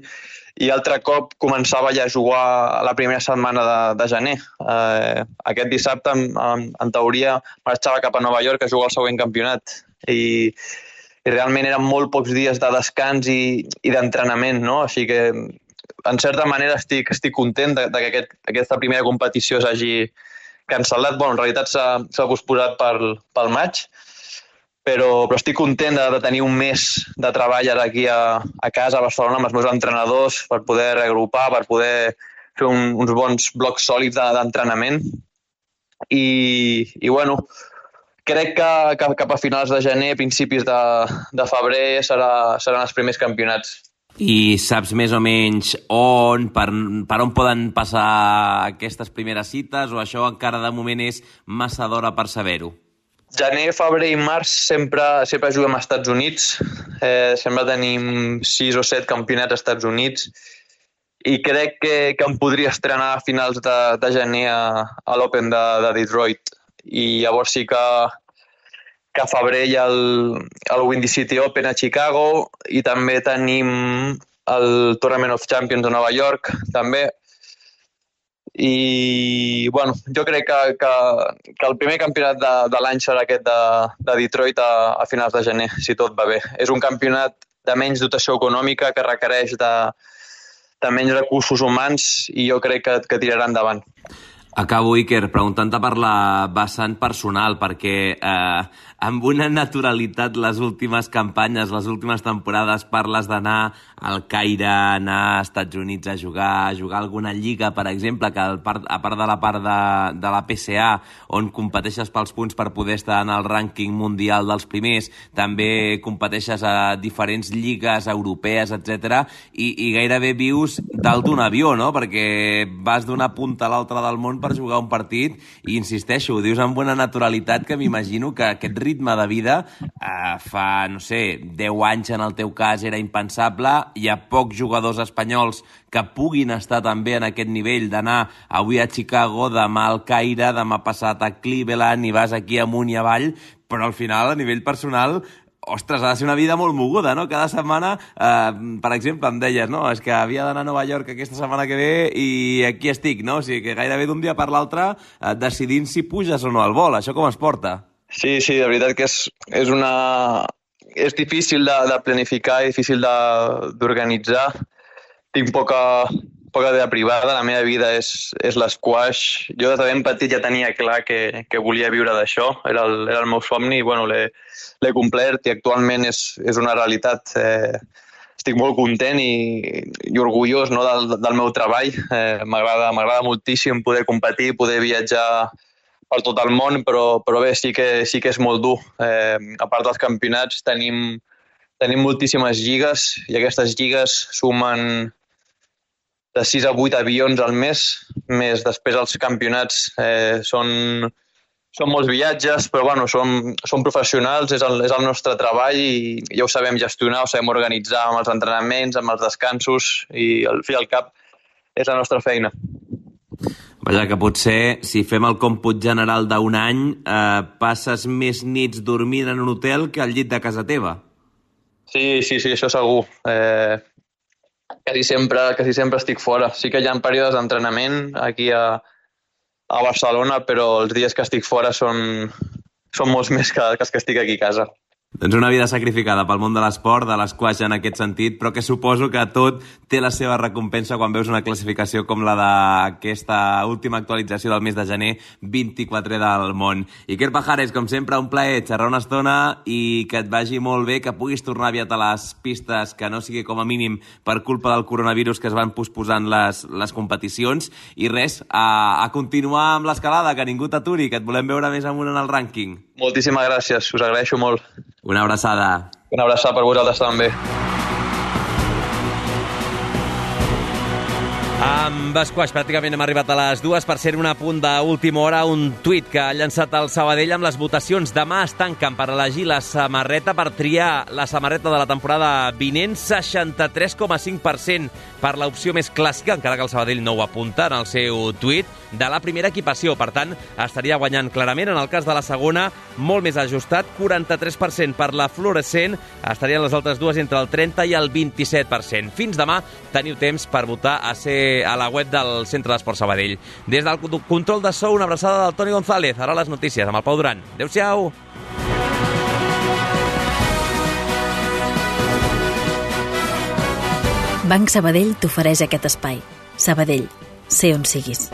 i altre cop començava ja a jugar a la primera setmana de, de gener. Eh, aquest dissabte, en, en teoria, marxava cap a Nova York a jugar el següent campionat i, i realment eren molt pocs dies de descans i, i d'entrenament, no? Així que, en certa manera, estic, estic content de, de que aquest, aquesta primera competició s'hagi cancel·lat. Bueno, en realitat s'ha posposat pel, pel maig, però, però estic content de, de tenir un mes de treball ara aquí a, a casa, a Barcelona, amb els meus entrenadors, per poder reagrupar, per poder fer un, uns bons blocs sòlids d'entrenament. I, i bueno, crec que, que cap a finals de gener, principis de, de febrer, serà, seran els primers campionats. I saps més o menys on, per, per on poden passar aquestes primeres cites, o això encara de moment és massa d'hora per saber-ho? Gener, febrer i març sempre, sempre juguem als Estats Units. Eh, sempre tenim sis o set campionats als Estats Units i crec que, que em podria estrenar a finals de, de gener a, a l'Open de, de Detroit. I llavors sí que... que a febrer hi ha el, el Windy City Open a Chicago i també tenim el Tournament of Champions a Nova York, també. I, bueno, jo crec que, que, que el primer campionat de, de l'any serà aquest de, de Detroit a, a finals de gener, si tot va bé. És un campionat de menys dotació econòmica que requereix de, de menys recursos humans i jo crec que, que tirarà endavant. Acabo, Iker, preguntant-te per la vessant personal, perquè eh, amb una naturalitat les últimes campanyes, les últimes temporades, parles d'anar al Caire, anar a Estats Units a jugar, a jugar alguna lliga, per exemple, que a part, a part de la part de, de la P C A, on competeixes pels punts per poder estar en el rànquing mundial dels primers, també competeixes a diferents lligues europees, etcètera, i, i gairebé vius dalt d'un avió, no? Perquè vas d'una punta a l'altra del món per jugar un partit i, insisteixo, ho dius amb bona naturalitat, que m'imagino que aquest ritme de vida eh, fa, no sé, deu anys en el teu cas era impensable. Hi ha pocs jugadors espanyols que puguin estar també en aquest nivell d'anar avui a Chicago, demà al Caire, demà passat a Cleveland i vas aquí amunt i avall, però al final, a nivell personal, ostres, ha de ser una vida molt moguda, no? Cada setmana, eh, per exemple, em deies, no? És que havia d'anar a Nova York aquesta setmana que ve i aquí estic, no? O sigui que gairebé d'un dia per l'altre eh, decidint si puges o no al vol. Això com es porta? Sí, sí, de veritat que és, és una... És difícil de, de planificar, difícil d'organitzar. Tinc poca, poca vida privada, la meva vida és, és l'esquash. Jo des de ben petit ja tenia clar que, que volia viure d'això, era, el, era el meu somni i bueno, l'he complert i actualment és, és una realitat. Eh, estic molt content i, i orgullós, no, del, del meu treball. Eh, m'agrada m'agrada moltíssim poder competir, poder viatjar per tot el món, però, però bé, sí que, sí que és molt dur. Eh, a part dels campionats tenim, tenim moltíssimes lligues i aquestes lligues sumen de sis a vuit avions al mes, més després els campionats eh, són, són molts viatges, però bueno, som, som professionals, és el, és el nostre treball i ja ho sabem gestionar, ho sabem organitzar amb els entrenaments, amb els descansos i al fi i al cap és la nostra feina. Vaja, que potser, si fem el còmput general d'un any, eh, passes més nits dormint en un hotel que al llit de casa teva. Sí, sí, sí, això segur. Eh, quasi, sempre, quasi sempre estic fora. Sí que hi ha períodes d'entrenament aquí a, a Barcelona, però els dies que estic fora són, són molts més que, que els que estic aquí a casa. Doncs una vida sacrificada pel món de l'esport, de l'esquash en aquest sentit, però que suposo que tot té la seva recompensa quan veus una classificació com la d'aquesta última actualització del mes de gener, vint-i-quatre del món. Iker Pajares, com sempre, un plaer xerrar una estona i que et vagi molt bé, que puguis tornar aviat a les pistes, que no sigui com a mínim per culpa del coronavirus que es van posposant les, les competicions. I res, a, a continuar amb l'escalada, que ningú t'aturi, que et volem veure més amunt en el rànquing. Moltíssimes gràcies, us agraeixo molt. Una abraçada. Una abraçada per vosaltres també. Amb esquash pràcticament hem arribat a les dues. Per ser un apunt d'última hora, un tuit que ha llançat el Sabadell amb les votacions. Demà es tanquen per elegir la samarreta, per triar la samarreta de la temporada vinent, seixanta-tres coma cinc per cent per l'opció més clàssica, encara que el Sabadell no ho apunta en el seu tuit, de la primera equipació. Per tant, estaria guanyant clarament. En el cas de la segona, molt més ajustat, quaranta-tres per cent per la fluorescent, estarien les altres dues entre el trenta i el vint-i-set per cent. Fins demà teniu temps per votar a ser a la web del Centre d'Esport Sabadell. Des del control de so, una abraçada del Toni González. Ara les notícies amb el Pau Duran. Adéu-siau! Banc Sabadell t'ofereix aquest espai. Sabadell, sé on siguis.